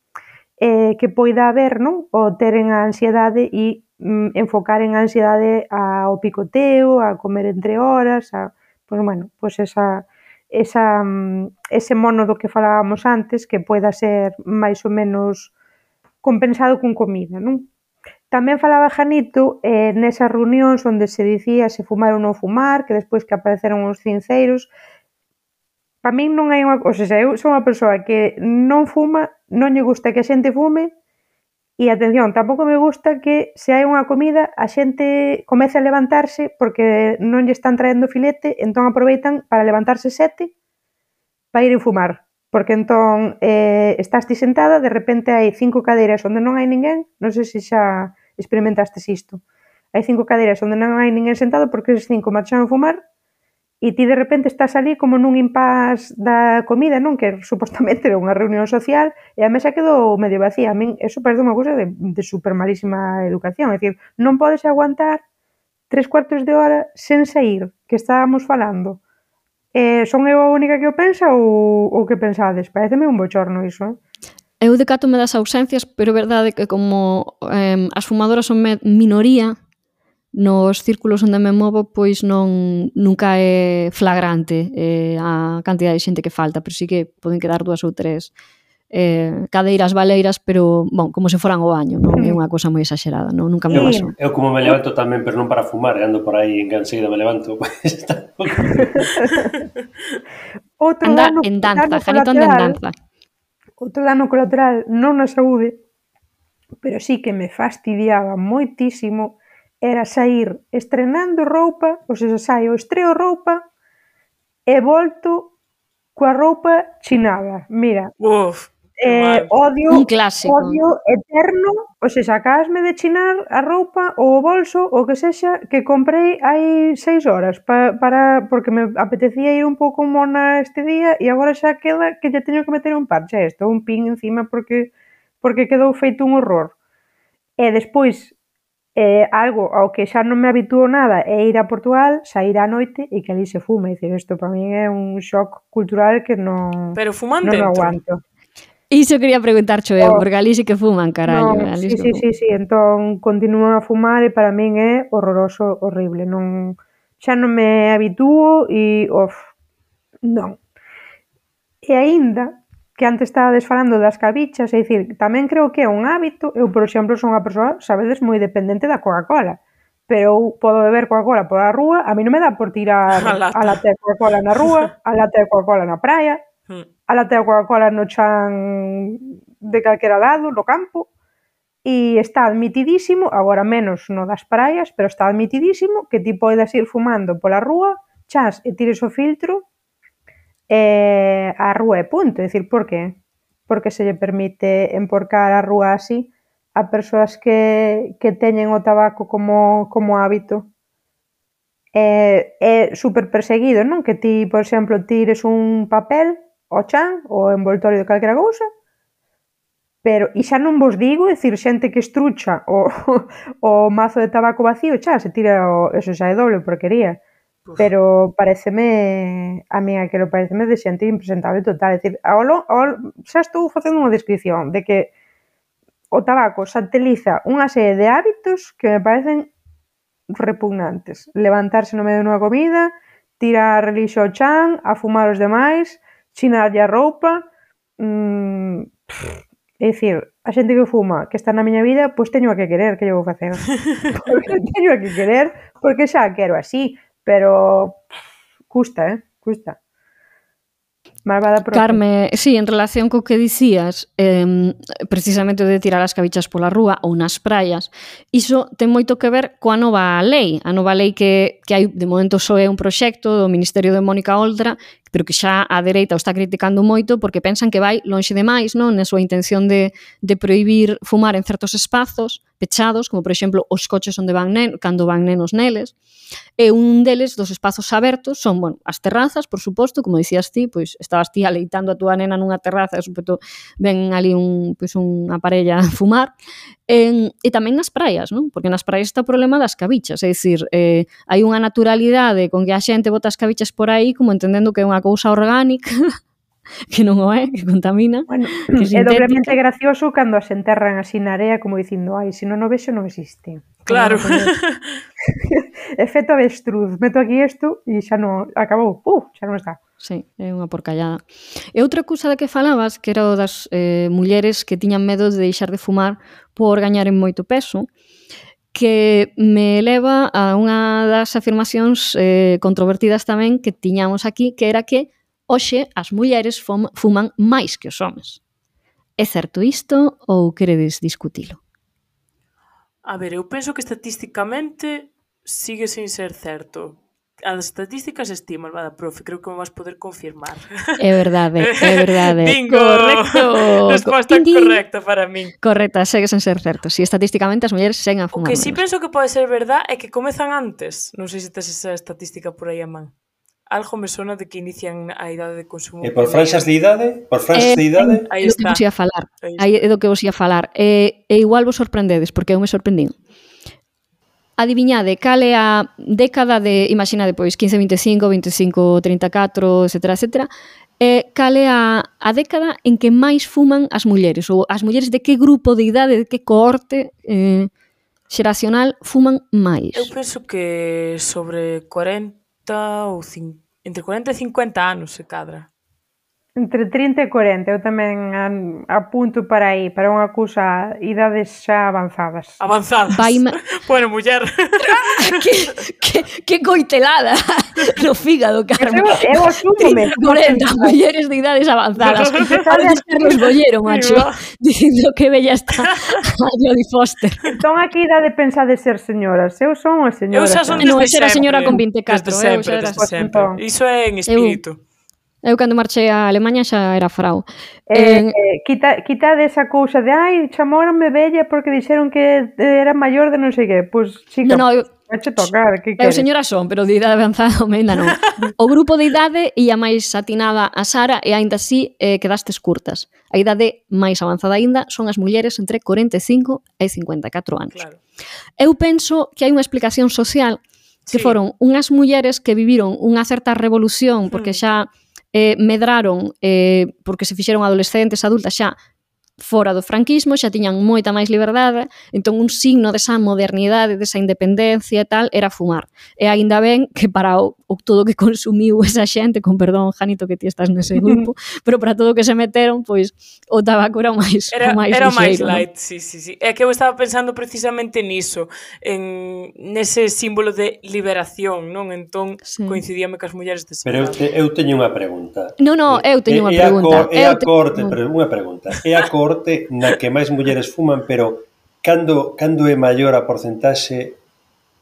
eh, que poida haber, non? O teren a ansiedade e mm, enfocar en a ansiedade ao picoteo, a comer entre horas, a, pois bueno, pois esa, esa, ese mono do que falábamos antes que poida ser máis ou menos compensado con comida, non? Tamén falaba Janito eh, nesas reunións onde se dicía se fumar ou non fumar, que despois que apareceron os cinceiros. Para min non hai unha... O sea, eu sou unha persoa que non fuma, non lle gusta que a xente fume e, atención, tampouco me gusta que se hai unha comida a xente comece a levantarse porque non lle están traendo filete, entón aproveitan para levantarse sete para ir a fumar. Porque entón eh, estás ti sentada, de repente hai cinco cadeiras onde non hai ninguén, non sei se xa experimentastes isto. Hai cinco cadeiras onde non hai ninguén sentado porque eses cinco marcharon a fumar e ti de repente estás ali como nun impás da comida, non? Que supostamente era unha reunión social e a mesa quedou medio vacía. A min eso parece unha cousa de, de super malísima educación. É dicir, non podes aguantar tres cuartos de hora sen sair, que estábamos falando. Eh, son eu a única que o pensa ou, ou que pensades? Pareceme un bochorno iso, eh? Eu decátome das ausencias, pero é verdade que como eh, as fumadoras son minoría nos círculos onde me movo, pois non nunca é flagrante eh, a cantidad de xente que falta, pero sí que poden quedar dúas ou tres eh, cadeiras baleiras, pero, bon, como se foran ao baño, non é unha cousa moi exagerada, non? Nunca me pasou. Eu como me levanto tamén, pero non para fumar, e ando por aí enseguida me levanto, pois está. Outro Anda dano, en danza, dano Janito anda en danza. Outro dano colateral, non na saúde, pero sí que me fastidiaba moitísimo, era sair estrenando roupa, ou seja, saio, estreo roupa e volto coa roupa chinada. Mira, Uf. eh, odio, Un clásico. odio eterno, o sea, acabasme de chinar a roupa ou o bolso, o que sexa, que comprei hai seis horas pa, para, porque me apetecía ir un pouco mona este día e agora xa queda que lle teño que meter un parche a isto, un pin encima porque porque quedou feito un horror. E despois, eh, algo ao que xa non me habitúo nada é ir a Portugal, sair á noite e que ali se fume. É dicir, isto para min é un shock cultural que non, Pero fuman non dentro. aguanto. Iso quería preguntarcho eu, Oh. porque ali sí que fuman, carallo. No, ali sí, sí sí, que sí, sí, entón continúan a fumar e para min é horroroso, horrible. Non, xa non me habitúo e, of, non. E aínda, que antes estabades falando das cabichas, é dicir, tamén creo que é un hábito. Eu, por exemplo, son unha persoa, sabedes, moi dependente da Coca-Cola. Pero eu podo beber Coca-Cola pola rúa, a mí non me dá por tirar A lata. a lata de Coca-Cola na rúa, a lata de Coca-Cola na praia, Mm. a lata de Coca-Cola no chan de calquera lado, no campo, e está admitidísimo, agora menos no das praias, pero está admitidísimo que ti podes ir fumando pola rúa, chas e tires o filtro eh, a rúa e punto. É dicir, por que? Porque se lle permite emporcar a rúa así a persoas que, que teñen o tabaco como, como hábito. É, é super perseguido, non? Que ti, por exemplo, tires un papel ao chan, ou envoltorio de calquera cousa, pero, e xa non vos digo, é dicir, xente que estrucha o, o mazo de tabaco vacío, xa, se tira o, eso xa é doble porquería. Uf. Pero pareceme, a mí aquilo pareceme de xente impresentable total, é dicir, ao, lo- ao, xa estou facendo unha descripción de que o tabaco sateliza unha serie de hábitos que me parecen repugnantes. Levantarse no medio dunha comida, tirar relixo ao chan, a fumar os demais, chinarlle a roupa, mmm, é dicir, a xente que fuma, que está na miña vida, pois teño a que querer, que lle vou facer? Porque teño a que querer, porque xa a quero así, pero pff, custa, eh, custa. Malvada profe. Carme, sí, en relación co que dicías, eh, precisamente de tirar as cabichas pola rúa ou nas praias, iso ten moito que ver coa nova lei. A nova lei que, que hai, de momento, só é un proxecto do Ministerio de Mónica Oltra, pero que xa a dereita o está criticando moito porque pensan que vai lonxe demais, non, na súa intención de, de prohibir fumar en certos espazos pechados, como, por exemplo, os coches onde van nen, cando van nenos neles. E un deles, dos espazos abertos, son, bueno, as terrazas, por suposto, como dicías ti, pois estabas ti aleitando a túa nena nunha terraza, e suposto ven ali un, pois unha parella a fumar, e, e tamén nas praias, non? Porque nas praias está o problema das cabichas, é dicir, eh, hai unha naturalidade con que a xente bota as cabichas por aí como entendendo que é unha cousa orgánica, que non o é, que contamina, Bueno, que é doblemente sintética. gracioso cando as enterran así na area como dicindo, ai, se non o vexo non existe. Claro. Efecto avestruz, meto aquí isto e xa non, acabou, uh, xa non está. Sí, é unha porcallada. E outra cousa da que falabas, que era o das eh, mulleres que tiñan medo de deixar de fumar por gañaren moito peso, que me leva a unha das afirmacións eh, controvertidas tamén que tiñamos aquí, que era que hoxe as mulleres fum, fuman máis que os homes. É certo isto ou queredes discutilo? A ver, eu penso que estatísticamente sigue sin ser certo. As estatísticas estiman, vada, profe, creo que me vas poder confirmar. É verdade, é verdade. Bingo! Correcto. Resposta Din, din. correcta para min. Correcta, segue sen ser certo. Si estatísticamente as mulleres seguen a O fumar que sí menos. penso que pode ser verdad é que comezan antes. Non sei se tes esa estatística por aí a man. Algo me sona de que inician a idade de consumo. E por franxas de idade? Por franxas Eh, de idade? Aí É do que está. vos ia falar. Aí Aí é do que vos ia falar. E, e igual vos sorprendedes, porque eu me sorprendín. Adiviñade cal é a década de, imaginade, pois, quince vinte e cinco, vinte e cinco trinta e catro, etcétera, etcétera, e cal é a, a década en que máis fuman as mulleres, ou as mulleres de que grupo de idade, de que cohorte eh, xeracional fuman máis. Eu penso que sobre cuarenta ou cincuenta, entre cuarenta e cincuenta anos se cadra. Entre trinta e cuarenta, eu tamén an- apunto para aí, para unha cousa, idades xa avanzadas. Avanzadas. Vaime- Bueno, muller. que, que, que coitelada no fígado, Carmen. Eu, eu asúmome. cuarenta mulleres de idades avanzadas. Parece Carlos Bollero, macho, dicindo que bella está a Jodie Foster. Entón, a que idade pensade ser señoras? Eu son unha señora. Eu xa son No, desde esa era a sempre. señora con vinte e catro, Desde eu sempre, xa era desde sempre. entón. Iso é en espírito. Eu cando marchei a Alemanha xa era frau. Eh, eh, quita, quita desa cousa de ai, chamouronme bella porque dixeron que era maior de non sei que. Pois, chica, No, no, eu, vache tocar, que eu queres? señora son, pero de idade avanzada ainda non. O grupo de idade ia máis atinada a Sara e aínda así eh, quedastes curtas. A idade máis avanzada aínda son as mulleres entre corenta e cinco e cincuenta e catro anos. Claro. Eu penso que hai unha explicación social que Sí. foron unhas mulleres que viviron unha certa revolución porque xa eh, medraron eh, porque se fixeron adolescentes, adultas xa fora do franquismo, xa tiñan moita máis liberdade, entón un signo desa modernidade, desa independencia e tal, era fumar. E aínda ben que para o, o todo que consumiu esa xente, con perdón, Janito, que ti estás nese grupo, pero para todo o que se meteron, pois o tabaco era o máis Era, o máis era o máis lixeiro, light, sí, sí, sí. É que eu estaba pensando precisamente niso, en nese símbolo de liberación, non? Entón, Sí. coincidíame cas mulleres de Pero eu, te, eu teño unha pregunta. Non, non, eu teño unha É a pregunta. cor- É Eu a teño- corte, pero unha pregunta. É a corte na que máis mulleres fuman, pero cando, cando é maior a porcentaxe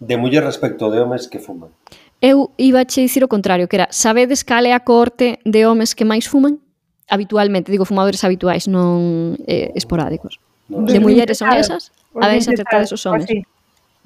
de mulleres respecto de homes que fuman? Eu iba a che dicir o contrario, que era, sabedes cal é a cohorte de homes que máis fuman? Habitualmente, digo fumadores habituais, non eh, esporádicos. Non De sei. mulleres son Claro. esas? Os A ver se vinte acertades tal, os homes. así,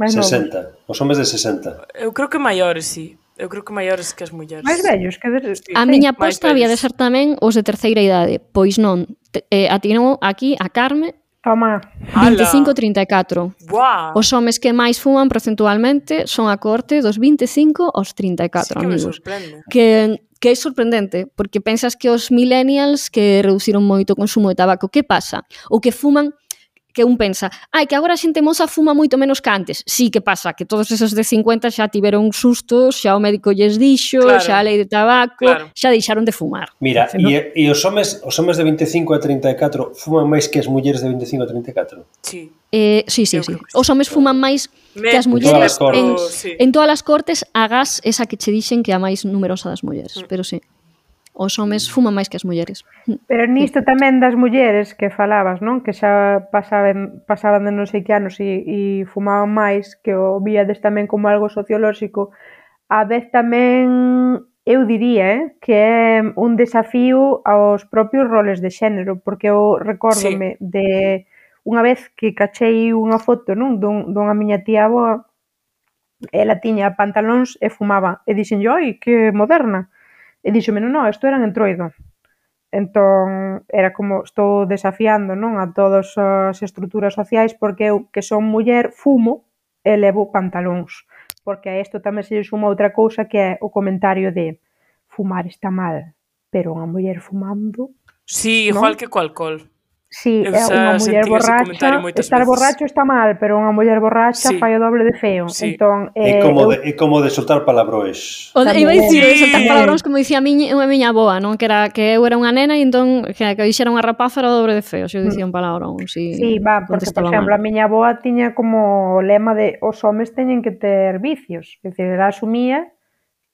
máis novos. sesenta. Os homes de sesenta. Eu creo que maiores, sí. Eu creo que maiores que as mulleres. Máis vellos, que de... Sí. A sí. miña máis aposta había de vellos. ser tamén os de terceira idade, pois non. Te- Eh, atinou aquí a Carme Toma. veinticinco a trinta e catro. Buah, Os homes que máis fuman procentualmente son a cohorte dos veinticinco aos trinta e catro, sí que me amigos. sorprende. Que, que é sorprendente, porque pensas que os millennials que reduciron moito o consumo de tabaco, que pasa? Ou que fuman, que un pensa, ai, que agora a xente moza fuma moito menos que antes. Sí, que pasa? Que todos esos de cincuenta xa tiveron sustos, xa o médico lles dixo, Claro. xa a lei de tabaco, Claro. xa deixaron de fumar. Mira, Se non- e, e os homes os homes de veinticinco a trinta e catro fuman máis que as mulleres de veinticinco a trinta e catro? Sí. Eh, sí, sí, Eu sí. creo que sí. Os homes fuman máis Me- que as En mulleres todas as en, cortes. Sí. en todas as cortes, agás esa que che dixen que é a máis numerosa das mulleres, Mm. pero sí. Os homes fuman máis que as mulleres. Pero nisto tamén das mulleres que falabas, non? Que xa pasaban, pasaban de non sei que anos e, e fumaban máis, que o víades tamén como algo sociolóxico. A vez tamén, eu diría, eh, que é un desafío aos propios roles de xénero, porque eu recórdome de unha vez que cachei unha foto, non? Dun, dunha miña tía avoa, ela tiña pantalóns e fumaba. E dixen, oi, que moderna. E dixome, non, non, isto eran entroido. Entón, era como, estou desafiando, non, a todas as estruturas sociais, porque eu, que son muller, fumo e levo pantalóns. Porque a isto tamén se lle suma outra cousa que é o comentario de fumar está mal, pero unha muller fumando... Sí, ¿No? igual que co alcohol. Sí, Eu é xa unha muller sentín ese comentario borracha, moitas estar veces. borracho está mal, pero unha muller borracha Sí. fai o doble de feo. Sí. Entón, É eh, como eu- de, é como de soltar palabrois. O, iba a Tamén. dicir, Sí. soltar palabróns como dicía a miña, unha miña aboa, non? Que era que eu era unha nena e entón que, que dixera unha rapaza era o dobre de feo, se eu dicía un palabrón, si Sí, va, porque, por contestaba exemplo, mal. a miña avoa tiña como o lema de os homes teñen que ter vicios. É dicir, ela asumía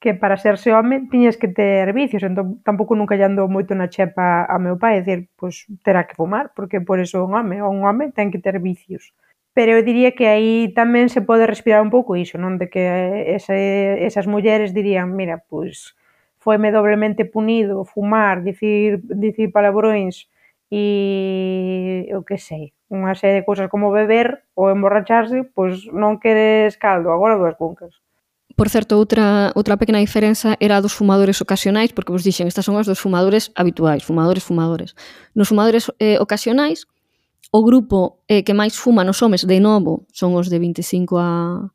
que para serse home tiñas que ter vicios, entón tampouco nunca lle andou moito na chepa a meu pai, é dicir, pois terá que fumar, porque por eso é un home, ou un home ten que ter vicios. Pero eu diría que aí tamén se pode respirar un pouco iso, non? De que ese, esas mulleres dirían, mira, pois foime doblemente punido fumar, dicir, dicir palabróns e eu que sei, unha serie de cousas como beber ou emborracharse, pois non queres caldo, agora dúas cuncas. Por certo, outra, outra pequena diferenza era a dos fumadores ocasionais, porque vos dixen, estas son as dos fumadores habituais, fumadores, fumadores. Nos fumadores eh, ocasionais, o grupo eh, que máis fuma nos homes, de novo, son os de veinticinco a,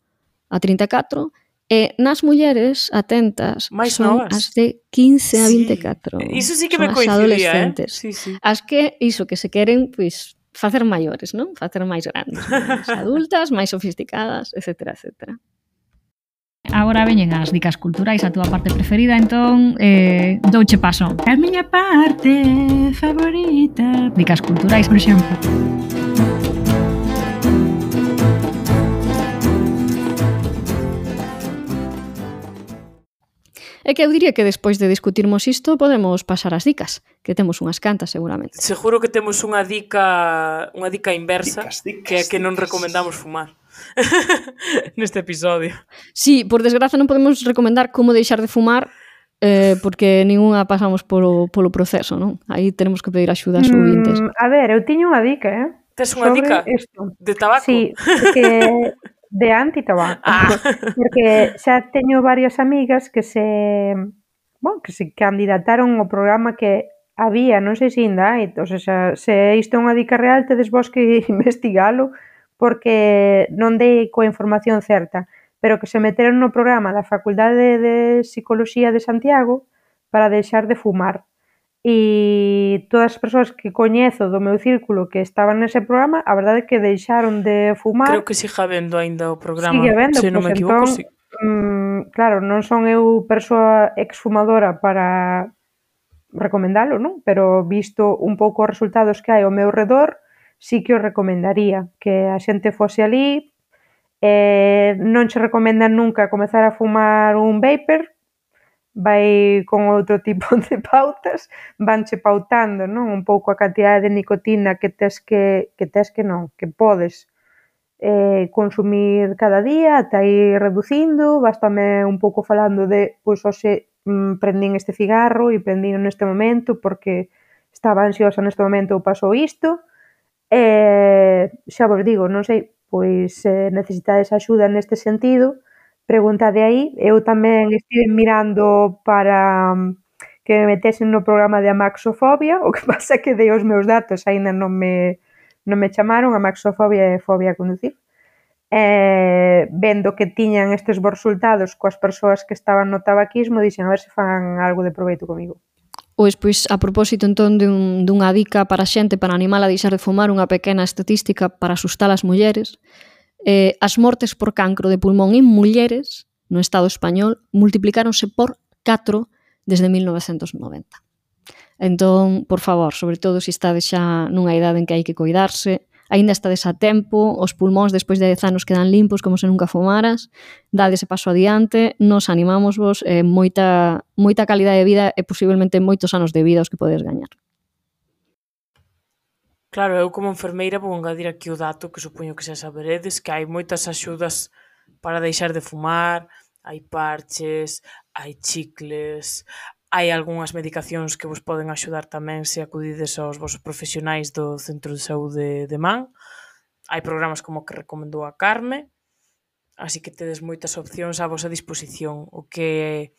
a trinta e catro, e nas mulleres, atentas, Máis son novas. as de quince a Sí. vinte e catro. Iso sí que Son me as coincidía, eh? adolescentes. Sí, sí. As que, iso, que se queren, pois, facer maiores, non? Facer máis grandes, máis adultas, máis sofisticadas, etcétera, etcétera. Agora veñen as dicas culturais, a túa parte preferida, entón eh, douche paso. A miña parte favorita. Dicas culturais, por exemplo. É que eu diría que despois de discutirmos isto podemos pasar as dicas, que temos unhas cantas seguramente. Seguro que temos unha dica unha dica inversa, Dicas, dicas, que é que non dicas. recomendamos fumar neste episodio. Sí, por desgraza non podemos recomendar como deixar de fumar eh, porque ningunha pasamos polo, polo proceso, non? Aí tenemos que pedir axuda aos ouvintes. Mm, a ver, eu tiño unha dica, eh? Tes unha Sobre dica isto. de tabaco? Sí, porque de antitabaco. Ah. Porque xa teño varias amigas que se, bueno, que se candidataron ao programa que había, non sei se ainda hai, o sea, se isto é unha dica real, tedes vos que investigalo, porque non dei coa información certa, pero que se meteron no programa da Facultade de Psicoloxía de Santiago para deixar de fumar. E todas as persoas que coñezo do meu círculo que estaban nese programa, a verdade é que deixaron de fumar. Creo que siga habendo aínda o programa, Sigue habendo, se non pois me equivoco, entón, sí. mm, claro, non son eu persoa exfumadora para recomendalo, non? Pero visto un pouco os resultados que hai ao meu redor, sí que o recomendaría que a xente fose alí. Eh, non che recomendan nunca comezar a fumar un vapor, vai con outro tipo de pautas, vanche pautando, non? Un pouco a cantidade de nicotina que tes que, que tes que non, que podes eh, consumir cada día, ata ir reducindo, bastame un pouco falando de, pois, hoxe mm, prendín este cigarro e prendín neste momento porque estaba ansiosa neste momento ou pasou isto, e xa vos digo, non sei, pois se necesitades axuda neste sentido, preguntade aí. Eu tamén estive mirando para que me metesen no programa de amaxofobia, o que pasa é que dei os meus datos, aínda non me, non me chamaron. Amaxofobia é fobia a conducir. E, vendo que tiñan estes bons resultados coas persoas que estaban no tabaquismo, dixen a ver se fan algo de proveito comigo. Pois, pois, a propósito entón dun, dunha dica para a xente para animala a deixar de fumar, unha pequena estatística para asustar as mulleres. Eh, as mortes por cancro de pulmón en mulleres no Estado español multiplicáronse por catro desde mil novecentos noventa. Entón, por favor, sobre todo se estades xa nunha idade en que hai que cuidarse, aínda estades a tempo, os pulmóns despois de dez anos quedan limpos como se nunca fumaras, dade ese paso adiante, nos animamos vos, eh, moita, moita calidade de vida e posiblemente moitos anos de vida os que podes gañar. Claro, eu como enfermeira vou engadir aquí o dato que supoño que xa saberedes, que hai moitas axudas para deixar de fumar, hai parches, hai chicles, hai algunhas medicacións que vos poden axudar tamén se acudides aos vosos profesionais do Centro de Saúde de Man. Hai programas como que recomendou a Carme, así que tedes moitas opcións á vosa disposición. O que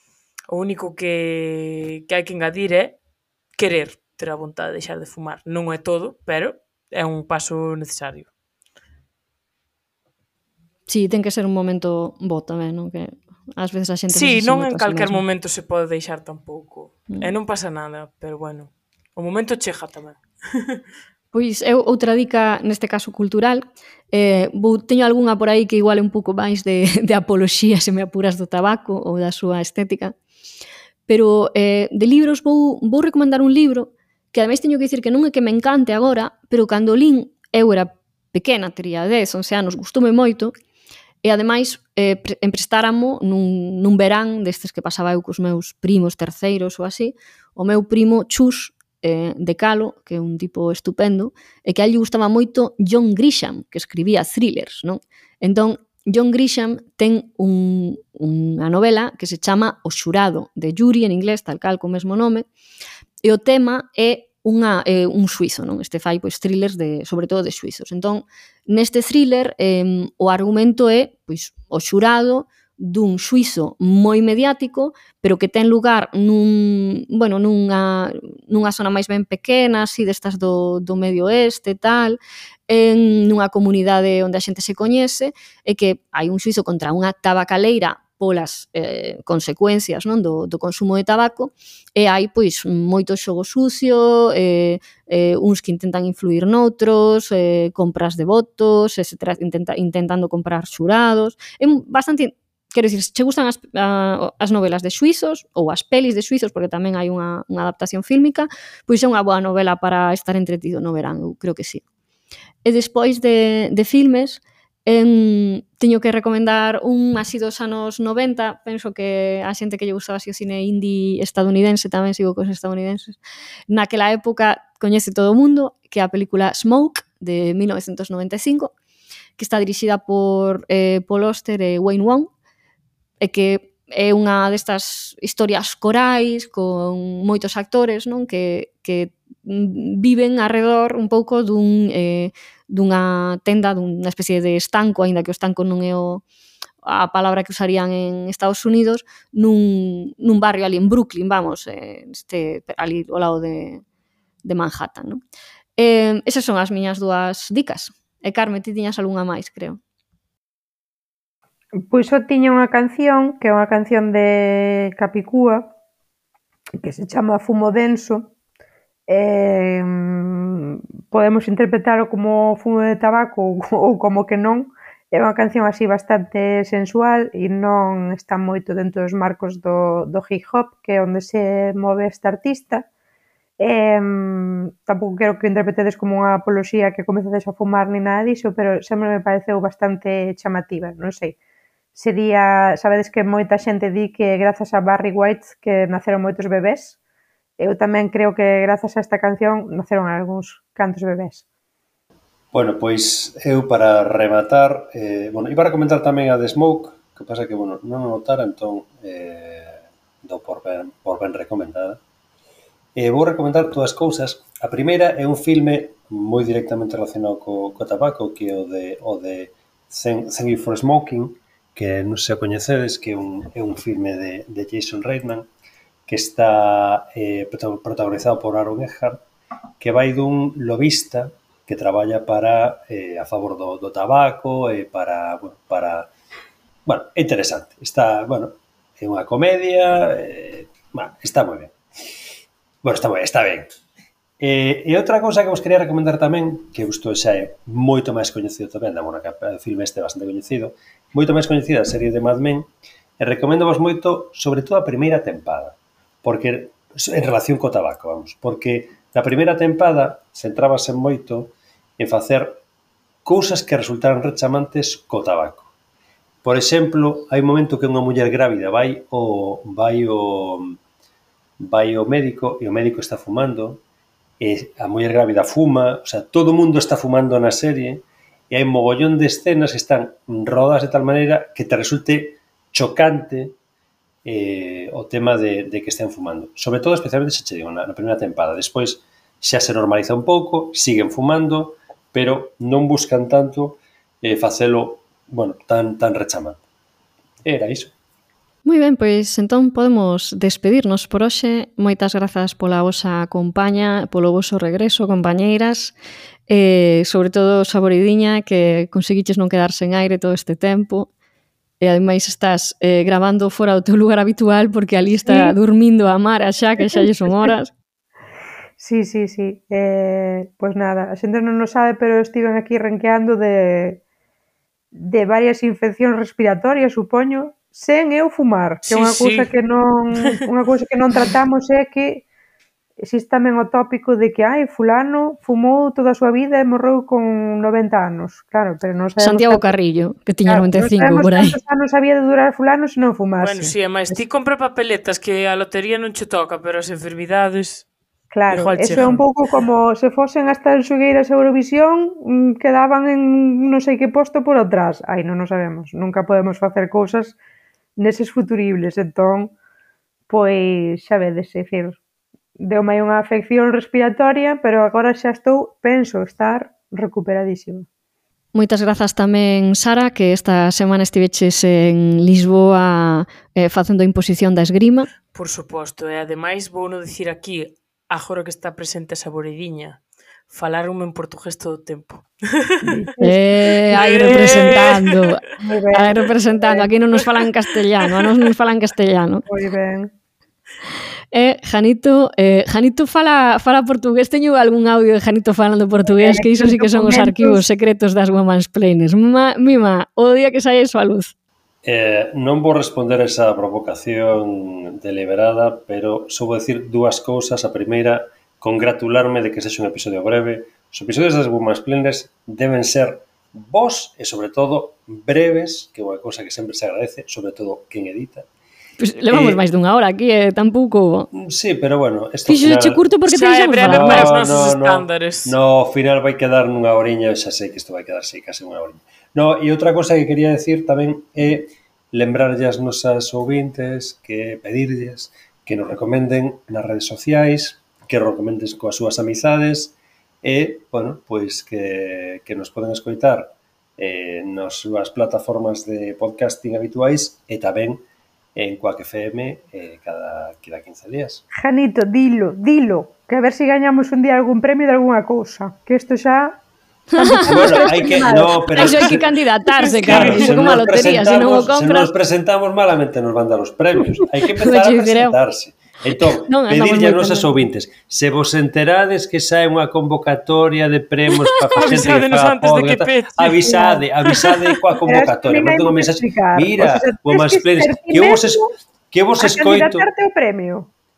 o único que, que hai que engadir é querer ter a vontade de deixar de fumar. Non é todo, pero é un paso necesario. Sí, ten que ser un momento bo tamén, non? Que ás veces a xente Sí, non en calquer mesmo. momento se pode deixar tampouco. Mm. E non pasa nada, pero bueno, o momento chega tamén. Pois eu outra dica, neste caso cultural, eh, vou, teño algunha por aí que igual é un pouco máis de, de apoloxía, se me apuras, do tabaco ou da súa estética, pero eh, de libros vou, vou recomendar un libro que ademais teño que dicir que non é que me encante agora, pero cando lín, eu era pequena, tería dez, once anos, gustoume moito, e ademais eh, emprestáramo nun, nun verán destes que pasaba eu cos meus primos terceiros ou así, o meu primo Chus eh, de Calo, que é un tipo estupendo, e que a ele gustaba moito John Grisham, que escribía thrillers, non? Entón, John Grisham ten un, unha novela que se chama O xurado, de Yuri, en inglés, tal cal, co mesmo nome, e o tema é unha, eh, un suizo, non? Este fai pois thrillers de, sobre todo de suizos. Entón, neste thriller eh, o argumento é pois o xurado dun suizo moi mediático, pero que ten lugar nun, bueno, nunha, nunha zona máis ben pequena, así destas do, do medio oeste e tal, en nunha comunidade onde a xente se coñece, e que hai un suizo contra unha tabacaleira polas eh, consecuencias, non, do, do consumo de tabaco, e hai pois moito xogo sucio, eh, eh, uns que intentan influir noutros, eh, compras de votos, etcétera, intenta, intentando comprar xurados. É bastante, quero dicir, se che gustan as, a, as novelas de suizos ou as pelis de suizos, porque tamén hai unha, unha adaptación fílmica, pois é unha boa novela para estar entretido no verán, eu creo que sí. E despois de, de filmes, En, teño que recomendar un así dos anos noventa, penso que a xente que lle gustaba así o cine indie estadounidense, tamén sigo cos estadounidenses, naquela época coñece todo o mundo, que é a película Smoke, de mil novecentos noventa e cinco, que está dirixida por eh, Paul Auster e Wayne Wong, e que é unha destas historias corais con moitos actores, non? Que, que viven arredor un pouco dun, eh, dunha tenda, dunha especie de estanco, aínda que o estanco non é o, a palabra que usarían en Estados Unidos, nun, nun barrio ali en Brooklyn, vamos, eh, este, ali ao lado de, de Manhattan, non? Eh, esas son as miñas dúas dicas. E Carme, ti tiñas algunha máis, creo. Pois só tiña unha canción, que é unha canción de Capicúa, que se chama Fumo Denso. Eh, podemos interpretalo como fumo de tabaco ou como que non. É unha canción así bastante sensual e non está moito dentro dos marcos do, do hip hop, que é onde se move esta artista. Eh, tampouco quero que interpretedes como unha apoloxía que comecedes a fumar ni nada diso, pero sempre me pareceu bastante chamativa, non sei. Sería, sabedes que moita xente di que grazas a Barry White que naceron moitos bebés. Eu tamén creo que grazas a esta canción naceron algúns cantos bebés. Bueno, pois eu para rematar, eh, bueno, iba a recomendar tamén a The Smoke, que pasa que, bueno, non o notara, entón eh, do por ben, por ben recomendada. Eh, vou recomendar dúas cousas. A primeira é un filme moi directamente relacionado co, co tabaco, que é o de, o de Thank, Thank You for Smoking, que non se o coñecedes, que é un, é un filme de, de Jason Reitman, que está eh, protagonizado por Aaron Eckhart, que vai dun lobista que traballa para eh, a favor do, do tabaco e para, bueno, para... Bueno, é interesante. Está, bueno, é unha comedia, eh, bueno, está moi ben. Bueno, está moi ben, está ben. E, e outra cousa que vos quería recomendar tamén, que isto xa é moito máis coñecido tamén, da bueno, que o filme este é bastante coñecido, moito máis coñecida a serie de Mad Men, e recomendo vos moito, sobre todo a primeira tempada, porque en relación co tabaco, vamos, porque na primeira tempada centrábase moito en facer cousas que resultaran rechamantes co tabaco. Por exemplo, hai un momento que unha muller grávida vai o vai o vai o médico e o médico está fumando, e a muller grávida fuma, o sea, todo o mundo está fumando na serie, e hai un mogollón de escenas que están rodadas de tal maneira que te resulte chocante eh, o tema de, de que estén fumando. Sobre todo, especialmente, se che digo, na, na primeira tempada. Despois xa se normaliza un pouco, siguen fumando, pero non buscan tanto eh, facelo, bueno, tan, tan rechamante. Era iso. Moi ben, pois entón podemos despedirnos por hoxe. Moitas grazas pola vosa compaña, polo voso regreso, compañeiras, e sobre todo Saboridiña, que conseguiches non quedar sen aire todo este tempo, e ademais estás eh, grabando fora do teu lugar habitual porque ali está sí. Dormindo a Mara xa, que xa lle son horas. Sí, sí, sí. Eh, pois nada, a xente non o sabe, pero estiven aquí renqueando de, de varias infeccións respiratorias, supoño, sen eu fumar, que é unha cousa sí. que non unha cousa que non tratamos é que existe tamén o tópico de que ai, fulano fumou toda a súa vida e morreu con noventa anos. Claro, pero non sabemos Santiago tanto... Carrillo, que tiña claro, noventa e cinco por aí. Non sabemos cantos anos había de durar fulano se non fumase. Bueno, si, sí, mas ti compra papeletas que a lotería non che toca, pero as enfermidades... Claro, eso é un pouco como se fosen as tanxugueiras Eurovisión, quedaban en non sei que posto por atrás. Ai, non o sabemos. Nunca podemos facer cousas neses futuribles, entón, pois, xa vedes, é dicir, deu-me unha afección respiratoria, pero agora xa estou, penso, estar recuperadísima. Moitas grazas tamén, Sara, que esta semana estiveches en Lisboa eh, facendo a imposición da esgrima. Por suposto, e ademais vou non dicir aquí, agora que está presente a Saboridiña, falaronme en portugués todo o tempo. Eh, aí representando. Aí representando. Aquí non nos falan castellano, a nos nos falan castellano. Moi ben. Eh, Janito, eh, Janito fala, fala portugués. Teño algún audio de Janito falando portugués, que iso sí que son os arquivos secretos das womansplainers. Ma, mima, o día que saia iso a luz. Eh, non vou responder esa provocación deliberada, pero só vou decir dúas cousas. A primeira, congratularme de que sexa un episodio breve. Os episodios das womansplainers deben ser vos e, sobre todo, breves, que é unha cousa que sempre se agradece, sobre todo quen edita. Pues levamos eh, máis dunha hora aquí, eh, tampouco... Sí, pero bueno... Fixo final... che curto porque te deixamos falar. No, os nosos no, estándares. No, ao final vai quedar nunha oriña, xa sei que isto vai quedar, sei, case unha oriña. No, e outra cosa que quería decir tamén é lembrarlle as nosas ouvintes, que pedirlles que nos recomenden nas redes sociais, que nos recomenden coas súas amizades e, bueno, pois que, que nos poden escoitar eh, nas súas plataformas de podcasting habituais e tamén en Quack F M eh, cada, cada quince días. Janito, dilo, dilo, que a ver se si gañamos un día algún premio de alguna cousa, que isto xa... Bueno, hai que... No, pero... Eso hai que candidatarse, Claro, Carmen, se como a nos lotería, se non o presentamos, se compras... nos presentamos malamente nos van dar os premios. Hai que empezar a presentarse. Entón, Non, pedirlle a andamos moi nosas ouvintes, se vos enterades que sae unha convocatoria de premios para facer xente que Avisádenos faga antes de que podcast, pete. avisade, avisade coa convocatoria. Pero é que Mande un non hai mensaxe, que explicar. mira, O sea, o tens máis que plenes, ser ti que vos, es, mesmo que vos a escoito... candidatarte ao premio.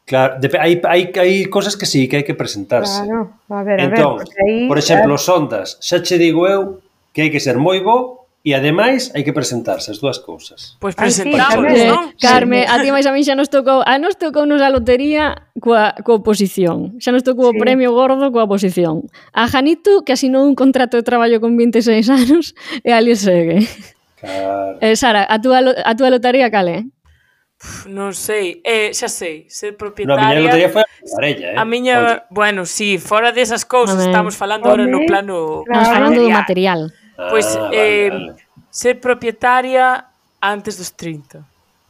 Claro, de, hai, hai, hai cosas que sí, que hai que presentarse. Claro, a ver, a Entón, ver, porque aí... por exemplo, os ondas, xa che digo eu que hai que ser moi bo e ademais hai que presentarse as dúas cousas. Pois Ai, sí, presentamos, tamén. non? Carme, a ti máis a mí xa nos tocou, a nos tocou nos a lotería coa, coa oposición. Xa nos tocou o Sí. premio gordo coa oposición. A Janito, que asinou un contrato de traballo con vinte e seis anos, e ali segue. Claro. Eh, Sara, a túa, lo- a túa lotería cal é? Non sei, eh, xa sei, ser No, a propietaria... miña lotería foi a parella, eh? A miña, bueno, sí, fora desas cousas, Home. estamos falando ahora no Home, plano claro. Estamos falando do material. Pois, Ah, eh, vale, vale. ser propietaria antes dos trinta.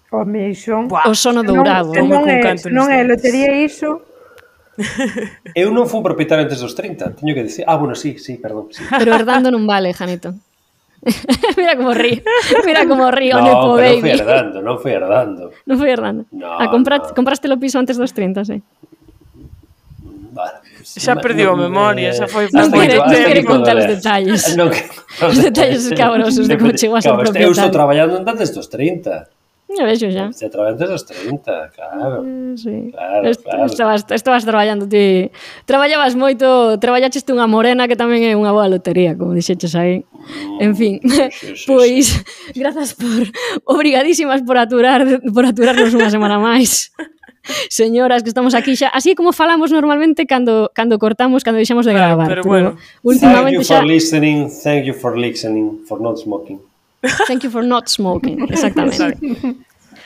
Home, iso... Buah, O sono non, dourado. Como non, con é, canto nos non é dentes. lotería iso... Eu non fui propietario antes dos trinta, teño que dicir... Ah, bueno, sí, sí, perdón. Sí. Pero herdando non vale, Janito. Mira como rí. Mira como rí o No, Nepo pero non fui Baby. herdando, non fui herdando. Non foi herdando. No, a compra, no. compraste o piso antes dos trinta, sí. Vale, pues, Xa ma- perdiu a no, memoria, eh, xa foi Non hasta quere- aquí- non hasta quere aquí puedo contar os leer. detalles. Non que- Os detalles escabrosos de como chegou a ser Claro, este- Eu estou propietario. traballando antes dos trinta. Eu vexo xa. Estou traballando antes dos trinta, claro. Eh, Sí. Claro, Est- claro. Estabas, estabas traballando ti. Traballabas moito, traballaches unha morena que tamén é unha boa lotería, como dixeches aí. En fin, sí, sí, pois grazas por obrigadísimas por aturar por aturarnos unha semana máis. Señoras, que estamos aquí xa, así como falamos normalmente cando cando cortamos, cando deixamos de Claro, gravar. pero bueno. Thank últimamente you for xa listening, thank you for listening, for not smoking. thank you for not smoking, exactamente.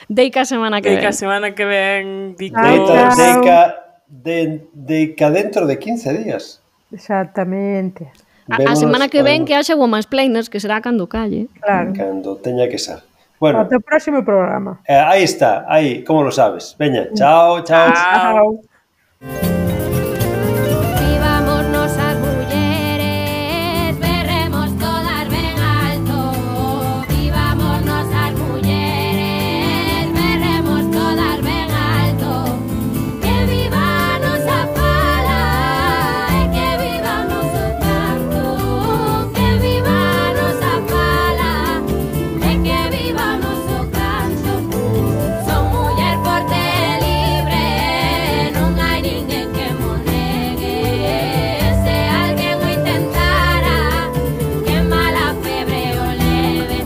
Deica a semana que Que ven. a semana que ven Vico. Ah, Deita, chao. deica, de, deica dentro de quince días. Exactamente. A, a Vémonos semana que ven con- que haxa woman's planers, que será cando calle. Claro. Cando teña que ser. Bueno, Ata o próximo programa. eh, aí está, aí, como lo sabes. Veña, chao, chao. Chao. Vivamos nosas mulleres, berremos todas ben alto. Vivamos nosas mulleres, berremos todas ben alto. Que viva a nosa fala e que viva o noso canto. Que viva a nosa fala e que viva o noso canto. Son muller forte e libre, non hai ninguén que mo negue. Se alguén o intentara, que mala febre o leve,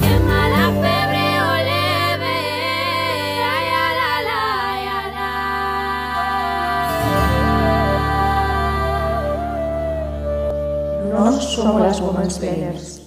que mala febre o leve. Ai, ala, la, ai, ala. Nós somos as Women's Planners.